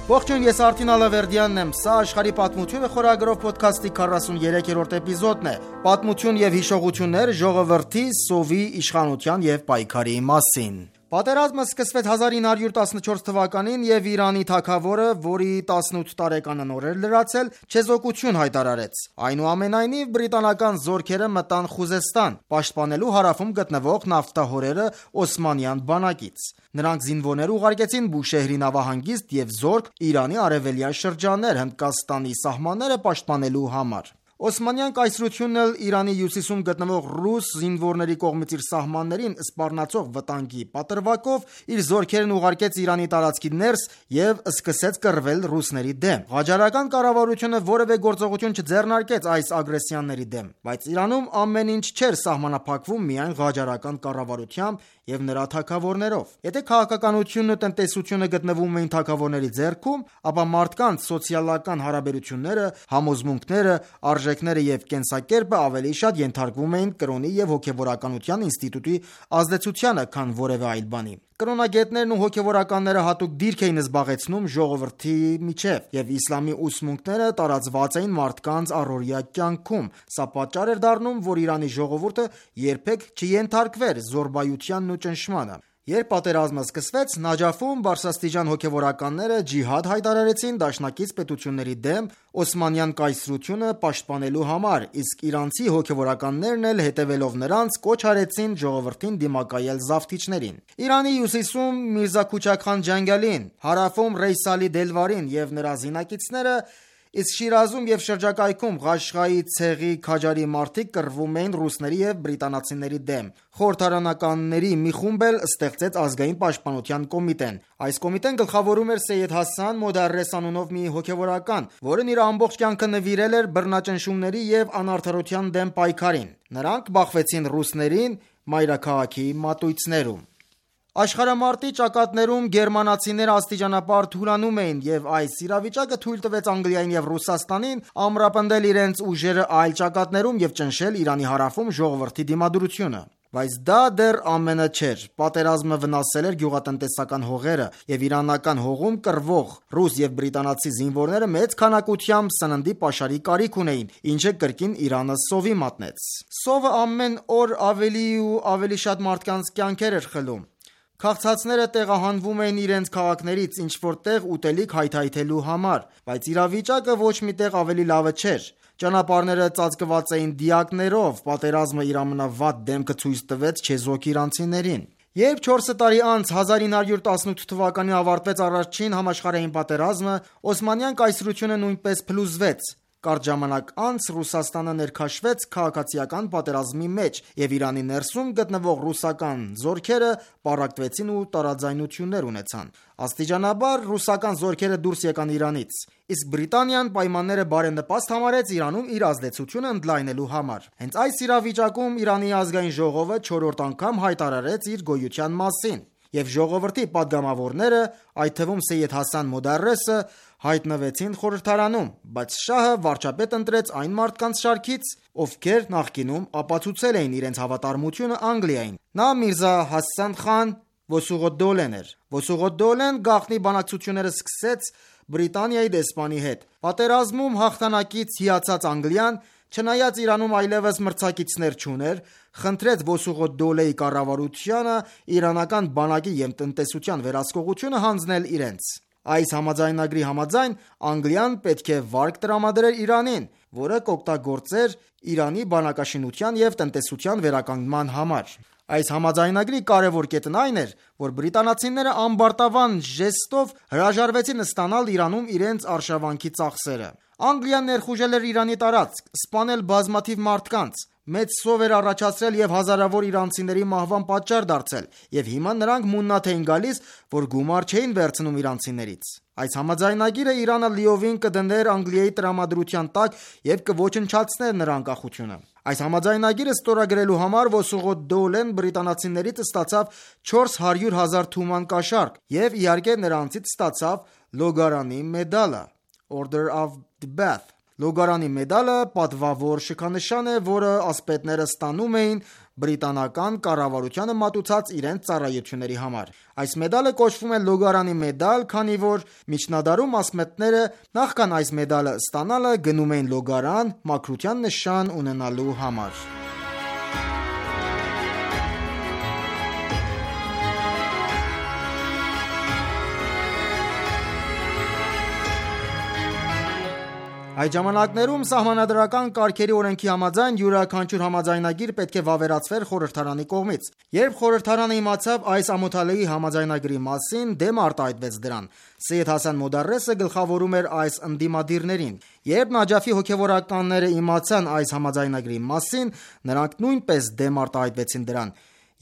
Ողջույն, ես Արտին Ալավերդյանն եմ, սա աշխարհի պատմությունը խորագրով ոդքասթի 43-րդ էպիզոդն է, պատմություն եւ հիշողություններ ժողովրդի, սովի, իշխանության եւ պայքարի մասին։ Պատերազմը սկսվեց 1914 թվականին եւ Իրանի թագավորը, որի 18 տարեկանը նոր էր լրացել, չեզոքություն հայտարարեց։ Այնուամենայնիվ բրիտանական զորքերը մտան Խուզեստան, պաշտպանելու հարավում գտնվող նավթահորերը Օսմանյան բանակից։ Նրանք զինվորներ ուղարկեցին Բուշեհրի նավահանգիստ եւ զորք Իրանի արևելյան շրջաններ Հնդկաստանի սահմանները պաշտպանելու համար։ Օսմանյան կայսրությունն էլ Իրանի հյուսիսում գտնվող ռուս զինվորների կողմից իր սահմաններին սպառնացող վտանգի պատրվակով իր զորքերն ուղարկեց Իրանի տարածքի ներս եւ սկսեց կռվել ռուսների դեմ։ Ղաջարական կառավարությունը որևէ գործողություն չձեռնարկեց այս ագրեսիաների դեմ, բայց Իրանում ամեն ինչ չէր սահմանափակվում միայն ղաջարական կառավարությամբ եւ նրա թագավորներով։ Եթե քաղաքականությունն ու տնտեսությունը գտնվում էին թագավորների ձեռքում, ապա մարդկանց սոցիալական հարաբերությունները, համոզմունքները, արժեքները եւ կենսակերպը ավելի շատ ենթարկվում էին կրոնի եւ հոգեվորականության ինստիտուտի ազդեցությանը, քան որևէ այլ բանի։ Կրոնագետներն ու հոգեվորականները հատուկ դիրք էին զբաղեցնում ժողովրդի միջև, եւ իսլամի ուսմունքները տարածված էին մարդկանց առօրյա կյանքում։ Սա պատճառ էր դառնում, որ Իրանի ժողովուրդը երբեք չենթարկվեր զորբայությանն ու ճնշմանը։ Երբ պատերազմը սկսվեց, Նաջաֆում բարձրաստիճան հոգևորականները ջիհադ հայտարարեցին դաշնակից պետությունների դեմ Օսմանյան կայսրությունը պաշտպանելու համար, իսկ իրանցի հոգևորականներն էլ հետևելով նրանց կոչ արեցին ժողովրդին դիմակայել զավթիչներին։ Իրանի հյուսիսում Միրզա Քուչաքխան Ջանգալին, հարավում Ռեյսալի Դելվարին եւ նրա զինակիցները Իսկ Շիրազում եւ շրջակայքում Ղաշղայի, Ցեղի, Քաջարի մարդիկ կռվում էին ռուսների եւ բրիտանացիների դեմ։ Խորհրդարանականների մի խումբ էլ ստեղծեց ազգային պաշտպանության կոմիտեն։ Այս կոմիտեն գլխավորում էր Սեյեդ Հասան Մոդարես անունով մի հոգևորական, որն իր ամբողջ կյանքը նվիրել էր բռնաճնշումների եւ անարդարության դեմ պայքարին։ Նրանք բախվեցին ռուսներին մայրաքաղաքի մատույցներում։ Աշխարհամարտի ճակատներում գերմանացիները աստիճանաբար թուլանում էին եւ այս իրավիճակը թույլ տվեց Անգլիային եւ Ռուսաստանին ամրապնդել իրենց ուժերը այլ ճակատներում եւ ճնշել Իրանի հարավում ժողովրդի դիմադրությունը։ Բայց դա դեռ ամենը չէր։ Պատերազմը վնասել էր գյուղատնտեսական հողերը եւ իրանական հողում կռվող ռուս եւ բրիտանացի զինվորները մեծ քանակությամբ սննդի պաշարի կարիք ունեին, ինչը կրկին Իրանը սովի մատնեց։ Սովը ամեն օր ավելի ու ավելի շատ մարդկանց կյանքեր էր խլում։ Քաղցածները տեղահանվում էին իրենց քաղաքներից ինչ-որ տեղ ուտելիք հայթայթելու համար, բայց իրավիճակը ոչ միտեղ ավելի լավը չէր։ Ճանապարհները ծածկված էին դիակներով, պատերազմը իր ամենավատ դեմքը ցույց տվեց չեզոք իրանցիներին։ Երբ 4 տարի անց 1918 թվականին ավարտվեց առաջին համաշխարհային պատերազմը, Օսմանյան կայսրությունը նույնպես փլուզվեց։ Կարճ ժամանակ անց Ռուսաստանը ներքաշվեց քաղաքացիական պատերազմի մեջ եւ Իրանի ներսում գտնվող ռուսական զորքերը պառակտվեցին ու տարաձայնություններ ունեցան։ Աստիճանաբար ռուսական զորքերը դուրս եկան Իրանից, իսկ Բրիտանիան պայմանները բարենպաստ համարեց Իրանում իր ազդեցությունը ընդլայնելու համար։ Հենց այս իրավիճակում Իրանի ազգային ժողովը 4-րդ անգամ հայտարարեց իր գոյության մասին, եւ ժողովրդի падգամավորները, այդ թվում Սեյեդ Հասան Մոդարեսը, հայտնվեցին խորհրդարանում, բայց շահը վարչապետ ընտրեց այն մարդկանց շարքից, ովքեր նախկինում ապացուցել էին իրենց հավատարմությունը Անգլիային։ Նա Միրզա Հասան խան Վոսուղոդդոլեն էր։ Վոսուղոդդոլեն գաղտնի բանակցությունները սկսեց Բրիտանիայի դեսպանի հետ։ Պատերազմում հաղթանակից հիացած Անգլիան, չնայած Իրանում այլևս մրցակիցներ չուներ, խնդրեց Վոսուղոդդոլեի կառավարությանը իրանական բանակի և տնտեսության վերահսկողությունը հանձնել իրենց։ Այս համաձայնագրի համաձայն Անգլիան պետք է վարկ տրամադրեր Իրանին, որը կօգտագործեր Իրանի բանակաշինության և տնտեսության վերականգնման համար։ Այս համաձայնագրի կարևոր կետն այն էր, որ բրիտանացիները ամբարտավան ժեստով հրաժարվեցին ստանալ Իրանում իրենց արշավանքի ծախսերը։ Անգլիան ներխուժել էր Իրանի տարածք, սպանել բազմաթիվ մարդկանց, մեծ սով էր առաջացրել եւ հազարավոր իրանցիների մահվան պատճառ դարձել, եւ հիմա նրանք մուննաթ էին գալիս, որ գումար չէին վերցնում իրանցիներից։ Այս համաձայնագիրը Իրանը լիովին կդներ Անգլիայի տրամադրության տակ եւ կոչնչացներ նրա անկախությունը։ Այս համաձայնագիրը ստորագրելու համար Վոսուղոդդոլեն բրիտանացիներից ստացավ 400,000 թուման կաշառք եւ իհարկե նրանցից ստացավ Լոգարանի մեդալը Order of the Bath։ Լոգարանի մեդալը պատվավոր շքանշան է, որը ասպետները ստանում էին բրիտանական կառավարությանը մատուցած իրենց ծառայությունների համար։ Այս մեդալը կոչվում է Լոգարանի մեդալ, քանի որ միջնադարում ասպետները նախքան այս մեդալը ստանալը գնում էին Լոգարան մաքրության նշան ունենալու համար։ Այդ ժամանակներում սահմանադրական կարգերի օրենքի համաձայն յուրաքանչյուր համաձայնագիր պետք է վավերացվեր խորհրդարանի կողմից։ Երբ խորհրդարանը իմացավ այս ամոթալի համաձայնագրի մասին, դեմ արտահայտվեց դրան։ Սեյեդ Հասան Մոդարեսը գլխավորում էր այս ընդդիմադիրներին։ Երբ Նաջաֆի հոգևորականները իմացան այս համաձայնագրի մասին, նրանք նույնպես դեմ արտահայտվեցին դրան,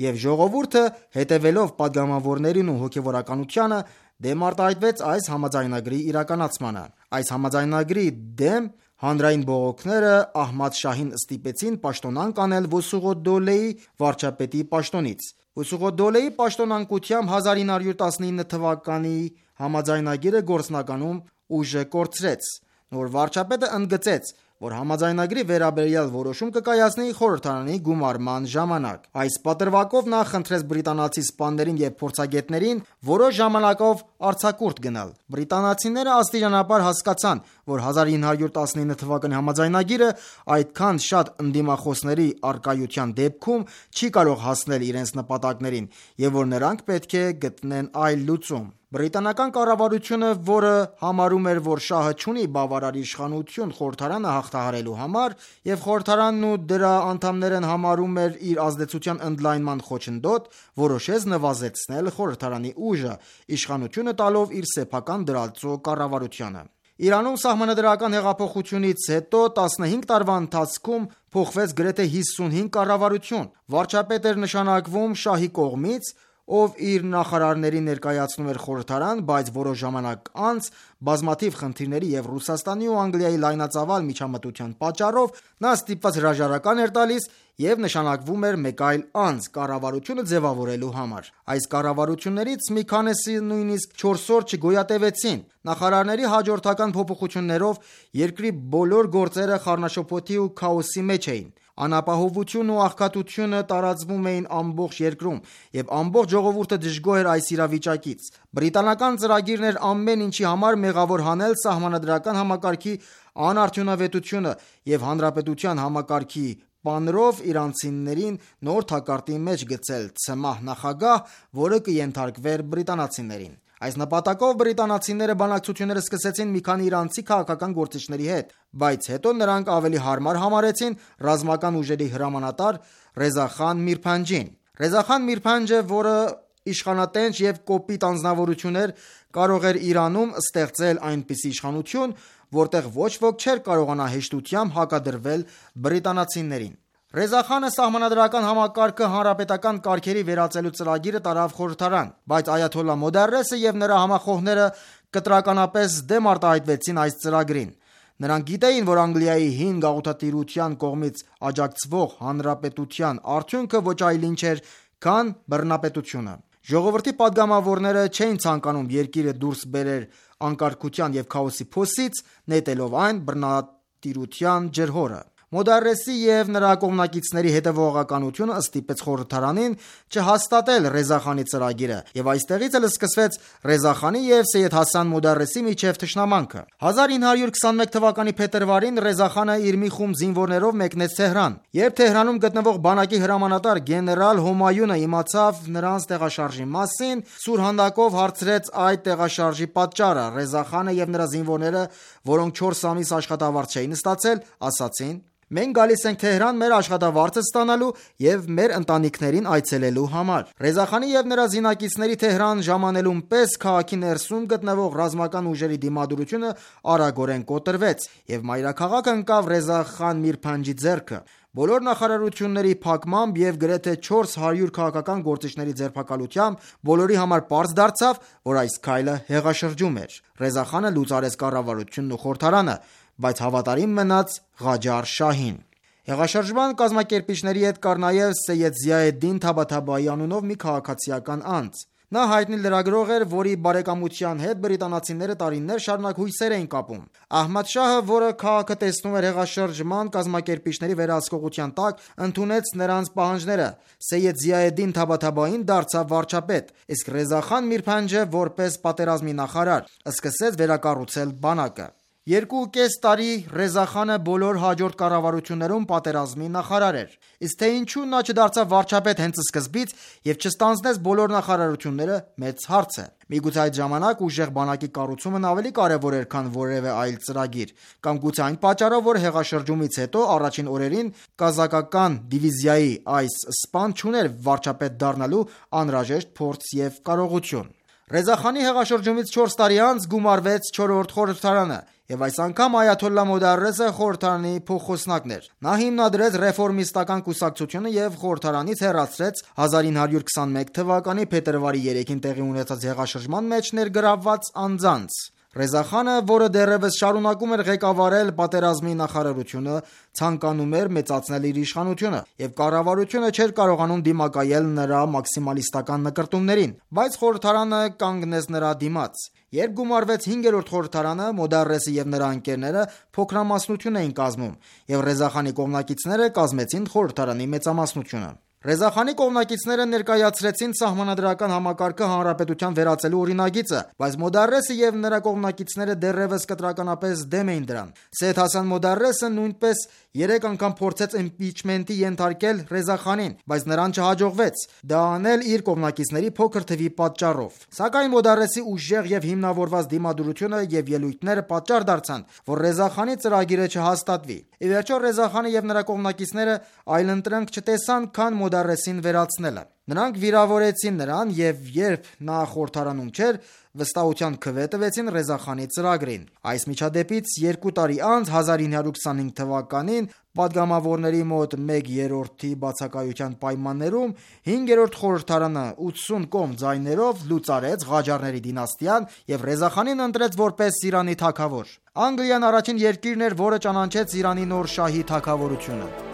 եւ ժողովուրդը, հետևելով падգամավորներին ու հոգևորականությանը, դեմ արտահայտվեց այս համաձայնագրի իրականացմանը։ Այս համաձայնագրի դեմ հանրային բողոքները Ահմադ Շահին ստիպեցին պաշտոնանկ անել Վոսուղոդդոլեի վարչապետի պաշտոնից։ Վոսուղոդդոլեի պաշտոնանկությամբ 1919 թվականի համաձայնագիրը գործնականում ուժը կորցրեց։ Նոր վարչապետը ընդգծեց, որ համաձայնագրի վերաբերյալ որոշում կկայացնի խորհրդարանի գումարման ժամանակ։ Այս պատրվակով նա խնդրեց բրիտանացի սպաներին եւ փորձագետներին որոշ ժամանակով արձակուրդ գնալ։ Բրիտանացիները աստիճանաբար հասկացան, որ 1919 թվականի համաձայնագիրը այդքան շատ ընդդիմախոսների առկայության դեպքում չի կարող հասնել իրենց նպատակներին եւ որ նրանք պետք է գտնեն այլ լուծում։ Բրիտանական կառավարությունը, որը համարում էր, որ շահը չունի բավարար իշխանություն խորհրդարանը հաղթահարելու համար, եւ խորհրդարանն ու դրա անդամներն համարում էր իր ազդեցության ընդլայնման խոչընդոտ, որոշեց նվազեցնել խորհրդարանի ուժը, իշխանությունը տալով իր սեփական դրածո կառավարությանը։ Իրանում սահմանադրական հեղափոխությունից հետո 15 տարվա ընթացքում փոխվեց գրեթե 55 կառավարություն։ Վարչապետ էր նշանակվում շահի կողմից, ով իր նախարարներին ներկայացնում էր խորհրդարան, բայց որոշ ժամանակ անց բազմաթիվ խնդիրների և Ռուսաստանի ու Անգլիայի լայնածավալ միջամտության պատճառով նա ստիպված հրաժարական էր տալիս և նշանակվում էր մեկ այլ անձ կառավարությունը ձևավորելու համար։ Այս կառավարություններից մի քանիսը նույնիսկ 4 օր չգոյատևեցին։ Նախարարների հաջորդական փոփոխություններով երկրի բոլոր գործերը խառնաշփոթի ու քաոսի մեջ էին։ Անապահովությունն ու աղքատությունը տարածվում էին ամբողջ երկրում, և ամբողջ ժողովուրդը դժգոհ էր այս իրավիճակից։ Բրիտանական ծրագիրն էր ամեն ինչի համար մեղավոր հանել սահմանադրական համակարգի անարդյունավետությունը և հանրապետության համակարգի պանրով իրանցիներին նոր թակարդի մեջ գցել ցմահ նախագահ, որը կենթարկվեր բրիտանացիներին։ Այս նպատակով բրիտանացիները բանակցություններ սկսեցին մի քանի իրանցի քաղաքական գործիչների հետ, բայց հետո նրանք ավելի հարմար համարեցին ռազմական ուժերի հրամանատար Ռեզա խան Միրփանջին։ Ռեզա խան Միրփանջը, որը իշխանատենչ և կոպիտ անձնավորություն էր, կարող էր Իրանում ստեղծել այնպիսի իշխանություն, որտեղ ոչ ոք չէր կարողանա հեշտությամբ հակադրվել բրիտանացիներին։ Ռեզա խանը սահմանադրական համակարգը հանրապետական կարգերի վերածելու ծրագիրը տարավ խորհրդարան, բայց այաթոլլա Մոդարեսը և նրա համախոհները կտրականապես դեմ արտահայտվեցին այս ծրագրին։ Նրանք գիտեին, որ Անգլիայի հին գաղութատիրության կողմից աջակցվող հանրապետության արդյունքը ոչ այլ ինչ էր, քան բռնապետությունը։ Ժողովրդի падգամավորները չէին ցանկանում երկիրը դուրս բերել անկարգության և քաոսի փոսից, նետելով այն բռնատիրության ջրհորը։ Մոդարեսի և նրա կողմնակիցների հետևողականությունը ստիպեց խորհրդարանին չհաստատել Ռեզա խանի ծրագիրը, և այստեղից էլ սկսվեց Ռեզա խանի և Սեյեդ Հասան Մոդարեսի միջև թշնամանքը։ 1921 թվականի փետրվարին Ռեզա խանը իր մի խումբ զինվորներով մեկնեց Թեհրան։ Երբ Թեհրանում գտնվող բանակի հրամանատար գեներալ Հոմայունը իմացավ նրանց տեղաշարժի մասին, սուրհանդակով հարցրեց այդ տեղաշարժի պատճառը։ Ռեզա խանը և նրա զինվորները, որոնք 4 ամիս աշխատավարձ չէին ստացել, ասացին. «Մենք գալիս ենք Թեհրան մեր աշխատավարձը ստանալու և մեր ընտանիքներին այցելելու համար»։ Ռեզա խանի և նրա զինակիցների Թեհրան ժամանելուն պես քաղաքի ներսում գտնվող ռազմական ուժերի դիմադրությունը արագորեն կոտրվեց, և մայրաքաղաքը ընկավ Ռեզա խան Միրփանջի ձեռքը։ Բոլոր նախարարությունների փակմամբ և գրեթե 400 քաղաքական գործիչների ձերբակալությամբ բոլորի համար պարզ դարձավ, որ այս քայլը հեղաշրջում էր։ Ռեզա խանը լուծարեց կառավարությունն ու խորհրդարանը, բայց հավատարիմ մնաց Ղաջար շահին։ Հեղաշրջման կազմակերպիչների հետ կար նաև Սեյեդ Զիայեդդին Թաբաթաբայի անունով մի քաղաքացիական անձ։ Նա հայտնի լրագրող էր, որի բարեկամության հետ բրիտանացիները տարիներ շարունակ հույսեր էին կապում։ Ահմադ շահը, որը քաղաքը տեսնում էր հեղաշրջման կազմակերպիչների վերահսկողության տակ, ընդունեց նրանց պահանջները։ Սեյեդ Զիայեդդին Թաբաթաբային դարձավ վարչապետ, իսկ Ռեզա խան Միրփանջը, որպես պատերազմի նախարար, սկսեց վերակառուցել բանակը։ 2.5 տարի Ռեզա խանը բոլոր հաջորդ կառավարություններում պատերազմի նախարար էր։ Իսկ թե ինչու նա չդարձավ վարչապետ հենց սկզբից և չստանձնեց բոլոր նախարարությունները, մեծ հարց է։ Միգուցե այդ ժամանակ ուժեղ բանակի կառուցումն ավելի կարևոր էր, քան որևէ այլ ծրագիր, կամ գուցե այն պատճառով, որ հեղաշրջումից հետո առաջին օրերին կազակական դիվիզիայի այս սպան չուներ վարչապետ դառնալու անհրաժեշտ փորձ և կարողություն։ Ռեզա խանի հեղաշրջումից 4 տարի անց գումարվեց 4-րդ խորհրդարանը, և այս անգամ այաթոլլա Մոդարեսը խորհրդարանի փոխխոսնակն էր։ Նա հիմնադրեց ռեֆորմիստական կուսակցությունը և խորհրդարանից հեռացրեց 1921 թվականի փետրվարի 3-ին տեղի ունեցած հեղաշրջման մեջ ներգրավված անձանց։ Ռեզա խանը, որը դեռևս շարունակում էր ղեկավարել պատերազմի նախարարությունը, ցանկանում էր մեծացնել իր իշխանությունը, և կառավարությունը չէր կարողանում դիմակայել նրա մաքսիմալիստական նկրտումներին, բայց խորհրդարանը կանգնեց նրա դիմաց։ Երբ գումարվեց 5-րդ խորհրդարանը, Մոդարեսը և նրա ընկերները փոքրամասնություն էին կազմում, և Ռեզա խանի կողմնակիցները կազմեցին խորհրդարանի մեծամասնությունը։ Ռեզա խանի կողմնակիցները ներկայացրեցին սահմանադրական համակարգը հանրապետության վերածելու օրինագիծը, բայց Մոդարեսը և նրա կողմնակիցները դեռևս կտրականապես դեմ էին դրան։ Սեյեդ Հասան Մոդարեսը նույնպես 3 անգամ փորձեց իմպիչմենտի ենթարկել Ռեզա խանին, բայց նրան չհաջողվեց, դա անել իր կողմնակիցների փոքր թվի պատճառով։ Սակայն Մոդարեսի ուժեղ և հիմնավորված դիմադրությունը և ելույթները պատճառ դարձան, որ Ռեզա խանի ծրագիրը չհաստատվի։ Ի վերջո Ռեզա խանը և նրա կողմնակիցները այլընտրանք չտեսան, քան Մոդարեսին վերացնելը։ Նրանք վիրավորեցին նրան և երբ նա խորհրդարանում չէր, վստահության քվե տվեցին Ռեզա խանի ծրագրին։ Այս միջադեպից 2 տարի անց 1925 թվականին պատգամավորների մոտ 1/3 բացակայության պայմաններում 5-րդ խորհրդարանը 80 կողմ ձայներով լուծարեց Ղաջարների դինաստիան և Ռեզա խանին ընտրեց որպես Իրանի թագավոր։ Անգլիան առաջին երկիրն էր, որը ճանաչեց Իրանի նոր շահի թագավորությունը։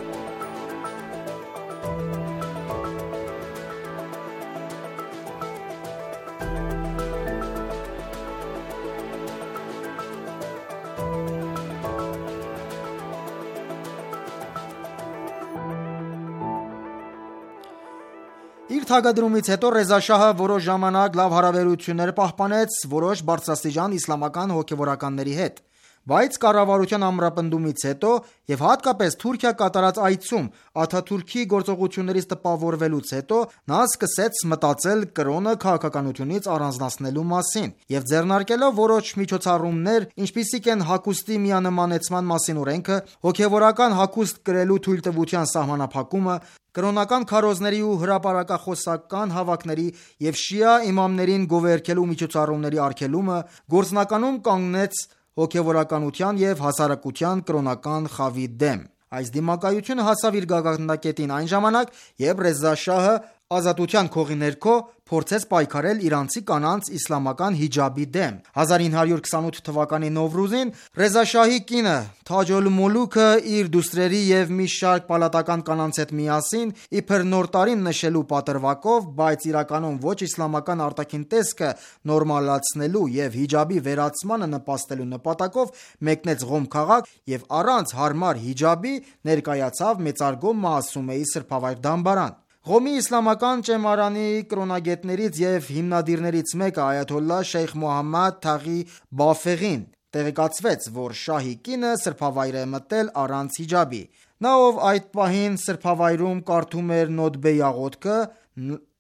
Իր թագադրումից հետո Ռեզա շահը որոշ ժամանակ լավ հարաբերություններ պահպանեց որոշ բարձրաստիճան իսլամական հոգևորականների հետ, բայց կառավարության ամրապնդումից հետո և հատկապես Թուրքիա կատարած այցում Աթաթուրքի գործողություններից տպավորվելուց հետո նա սկսեց մտածել կրոնը քաղաքականությունից առանձնացնելու մասին և ձեռնարկելով որոշ միջոցառումներ, ինչպիսիք են հագուստի միանմանեցման մասին օրենքը, հոգևորական հագուստ կրելու թույլտվության սահմանափակումը, կրոնական քարոզների ու հրապարակախոսական հավաքների և շիա իմամներին գովերգելու միջոցառումների արգելումը, գործնականում կանգնեց հոգևորականության և հասարակության կրոնական խավի դեմ։ Այս դիմակայությունը հասավ իր գագաթնակետին այն ժամանակ, երբ Ռեզա շահը ազատության քողի ներքո փորձեց պայքարել իրանցի կանանց իսլամական հիջաբի դեմ։ 1928 թվականի Նովրուզին Ռեզա շահի կինը Թաջ-օլ-Մոլուքը իր դուստրերի և մի շարք պալատական կանանց հետ միասին իբր նոր տարին նշելու պատրվակով, բայց իրականում ոչ իսլամական արտաքին տեսքը նորմալացնելու և հիջաբի վերացմանը նպաստելու նպատակով մեկնեց Ղոմ քաղաք և առանց հարմար հիջաբի ներկայացավ մեծարգո Մասումեի սրբավայր դամբարան։ Ղոմի իսլամական ճեմարանի կրոնագետներից և հիմնադիրներից մեկը այաթոլլահ Շեյխ Մոհամմադ Թաղի Բաֆեղին տեղեկացվեց, որ շահի կինը սրբավայր է մտել առանց հիջաբի։ Նա, ով այդ պահին սրբավայրում կարդում էր Նոթբեի աղոթքը,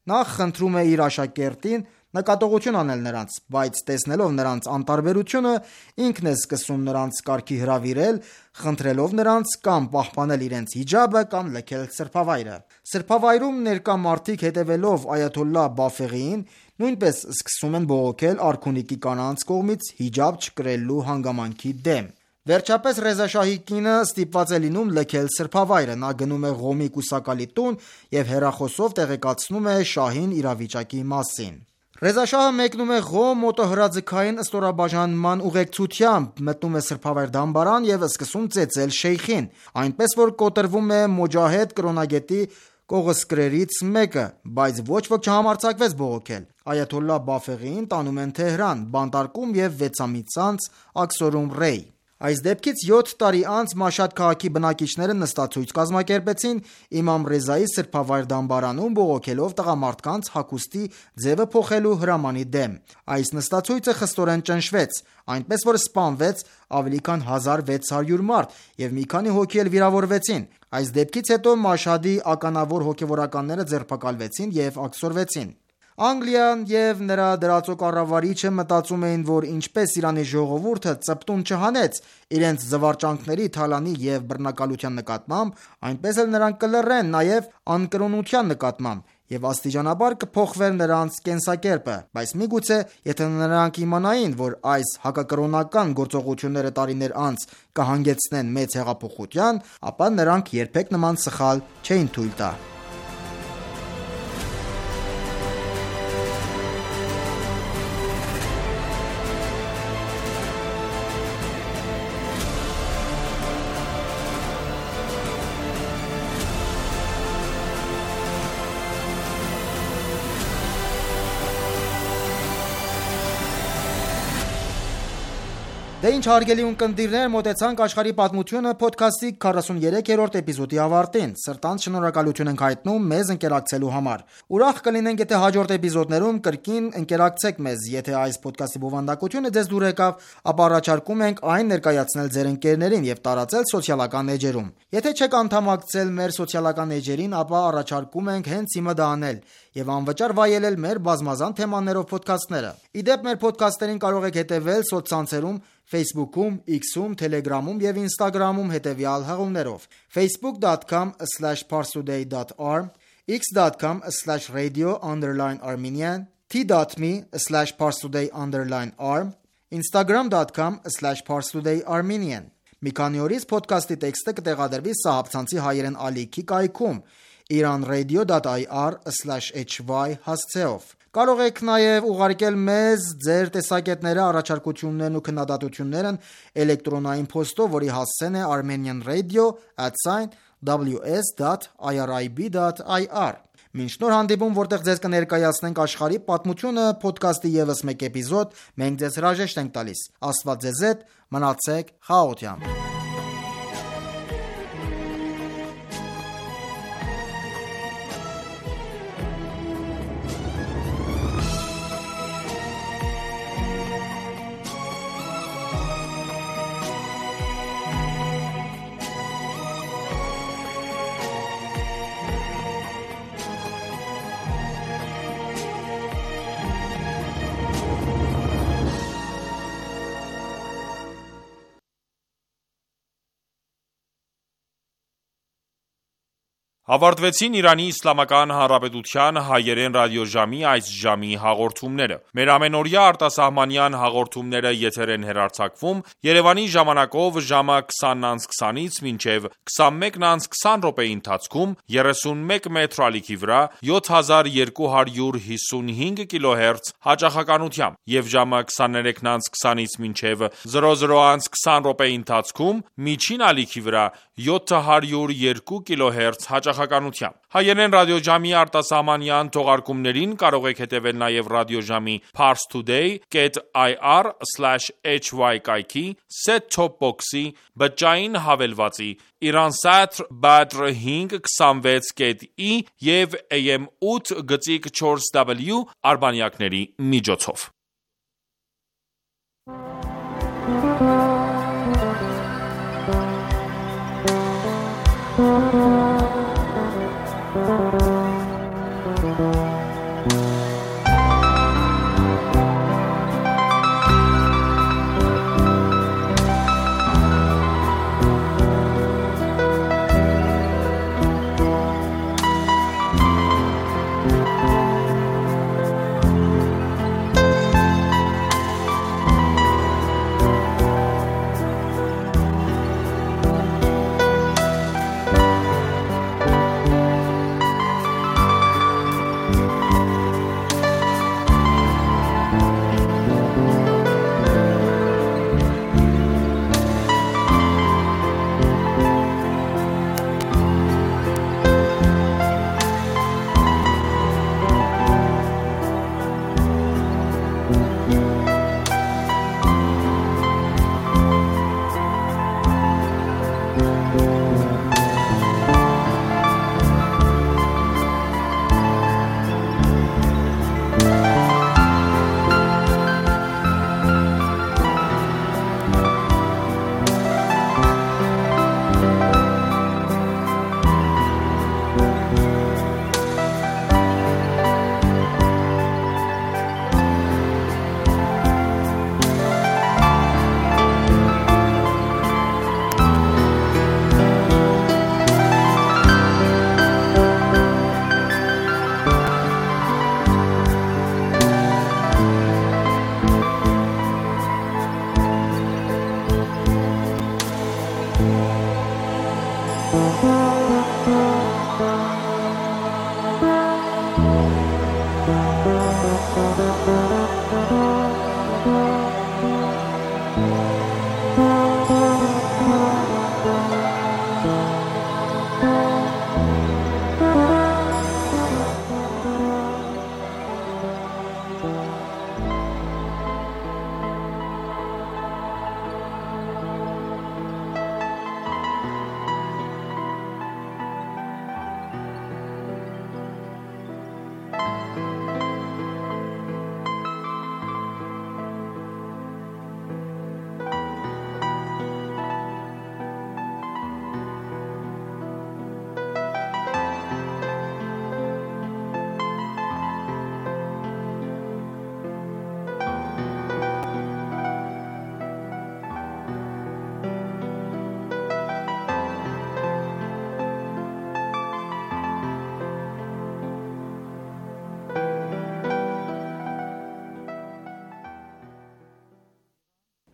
նախ խնդրում է իր աշակերտին նկատողություն անել նրանց, բայց տեսնելով նրանց անտարբերությունը, ինքն է սկսում նրանց կարգի հրավիրել, խնդրելով նրանց կամ պահպանել իրենց հիջաբը, կամ լքել սրբավայրը։ Սրբավայրում ներկա մարդիկ, հետևելով այաթոլլահ Բաֆեղիին, նույնպես սկսում են բողոքել արքունիքի կանանց կողմից հիջաբ չկրելու հանգամանքի դեմ։ Վերջապես Ռեզա շահի կինը ստիպված է լինում լքել սրբավայրը։ Նա գնում է Ղոմի կուսակալի տուն և հեռախոսով տեղեկացնում է շահին իրավիճակի մասին։ Ռեզա շահը մեկնում է Ղոմ մոտոհրաձգային ստորաբաժանման ուղեկցությամբ, մտնում է սրբավայր դամբարան և սկսում ծեծել շեյխին, այնպես որ կոտրվում է Մոջահեդ կրոնագետի կողոսկրերից մեկը, բայց ոչ ոք չհամարձակվեց բողոքել։ Այաթոլլահ Բաֆեղիին տանում են Թեհրան, բանտարկում և 6 ամիս անց աքսորում Ռեյ։ Այս դեպքից 7 տարի անց Մաշհադ քաղաքի բնակիչները նստացույց կազմակերպեցին Իմամ Ռեզայի սրբավայր դամբարանում, բողոքելով տղամարդկանց հագուստի ձևը փոխելու հրամանի դեմ։ Այս նստացույցը խստորեն ճնշվեց, այնպես որ սպանվեց ավելի քան 1600 մարդ և մի քանի հոգի էլ վիրավորվեցին։ Այս դեպքից հետո Մաշհադի ականավոր հոգևորականները ձերբակալվեցին և աքսորվեցին։ Անգլիան և նրա դրածո կառավարիչը մտածում էին, որ ինչպես Իրանի ժողովուրդը ծպտուն չհանեց իրենց զվարճանքների, թալանի և բռնակալության նկատմամբ, այնպես էլ նրանք կլռեն նաև անկրոնության նկատմամբ և աստիճանաբար կփոխվեր նրանց կենսակերպը, բայց միգուցե եթե նրանք իմանային, որ այս հակակրոնական գործողությունները տարիներ անց կհանգեցնեն մեծ հեղափոխության, ապա նրանք երբեք նման սխալ չէին թույլ տա։ Դե ինչ հարգելի ունկնդիրներ, մոտեցանք աշխարհի պատմությունը ոդքասթի 43-րդ էպիզոդի ավարտին։ Սրտանց շնորհակալություն ենք հայտնում մեզ ընկերակցելու համար։ Ուրախ կլինենք, եթե հաջորդ էպիզոդներում կրկին ընկերակցեք մեզ։ Եթե այս ոդքասթի բովանդակությունը ձեզ դուր եկավ, ապա առաջարկում ենք այն ներկայացնել ձեր ընկերներին և տարածել սոցիալական էջերում։ Եթե չեք անդամակցել մեր սոցիալական էջերին, ապա առաջարկում ենք հենց հիմա դա անել և անվճար վայելել մեր բազմազան թեմաներով ոդքասթները։ Ի դեպ, մեր ոդքասթերին կարող եք հետևել սոցցանցերում Facebook-ում, X-ում, Telegram-ում և Instagram-ում հետևյալ հղումներով. facebook.com/parstoday.ir, x.com/radio_armenian, t.me/parstoday_arm, instagram.com/parstoday_armenian։ Մի քանի օրից ոդքասթի տեքստը կտեղադրվի Սահաբցանցի հայերեն ալիքի կայքում iranradio.ir/hy հասցեով։ Կարող եք նաև ուղարկել մեզ ձեր տեսակետները, առաջարկություններն ու քննադատություններն էլեկտրոնային փոստով, որի հասցեն է armenianradio@ws.irib.ir։ Մինչ նոր հանդիպում, որտեղ ձեզ կներկայացնենք աշխարհի պատմությունը ոդքասթի ևս մեկ էպիզոդ, մենք ձեզ հրաժեշտ ենք տալիս։ Աստված ձեզ հետ, մնացեք խաղաղությամբ։ Ավարտվեցին Իրանի Իսլամական Հանրապետության հայերեն ռադիոժամի այս ժամի հաղորդումները։ Մեր ամենօրյա արտասահմանյան հաղորդումները եթեր են հեռարձակվում Երևանի ժամանակով ժամը 20:20-ից մինչև 21:20 րոպեի ընթացքում 31 մետր ալիքի վրա 7255 կիլոհերց հաճախականությամբ եւ ժամը 23:20-ից մինչև 00:20 րոպեի ընթացքում միջին ալիքի վրա 702 կիլոհերց հաճախականությամբ։ Հայերեն ռադիոժամի արտասահմանյան թողարկումներին կարող եք հետևել նաև ռադիոժամի parstoday.ir/hy կայքի, set-top box-ի, բջջային հավելվածի, Iransat Badr 526.i եւ AM 8.4W արբանյակների միջոցով։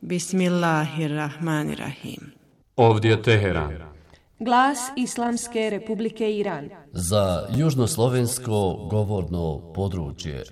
Bismillahirrahmanirrahim. Ovdje Teheran. Glas Islamske Republike Iran. Za južnoslovensko govorno područje.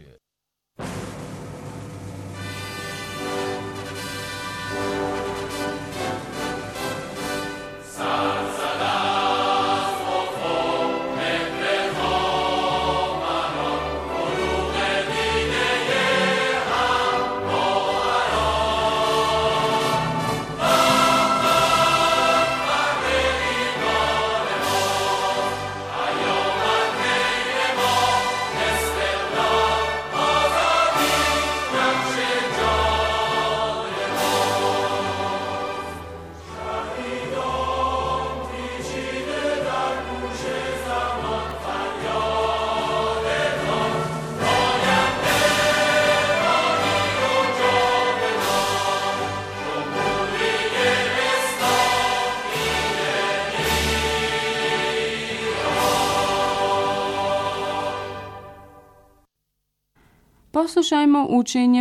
Poslušajmo učenje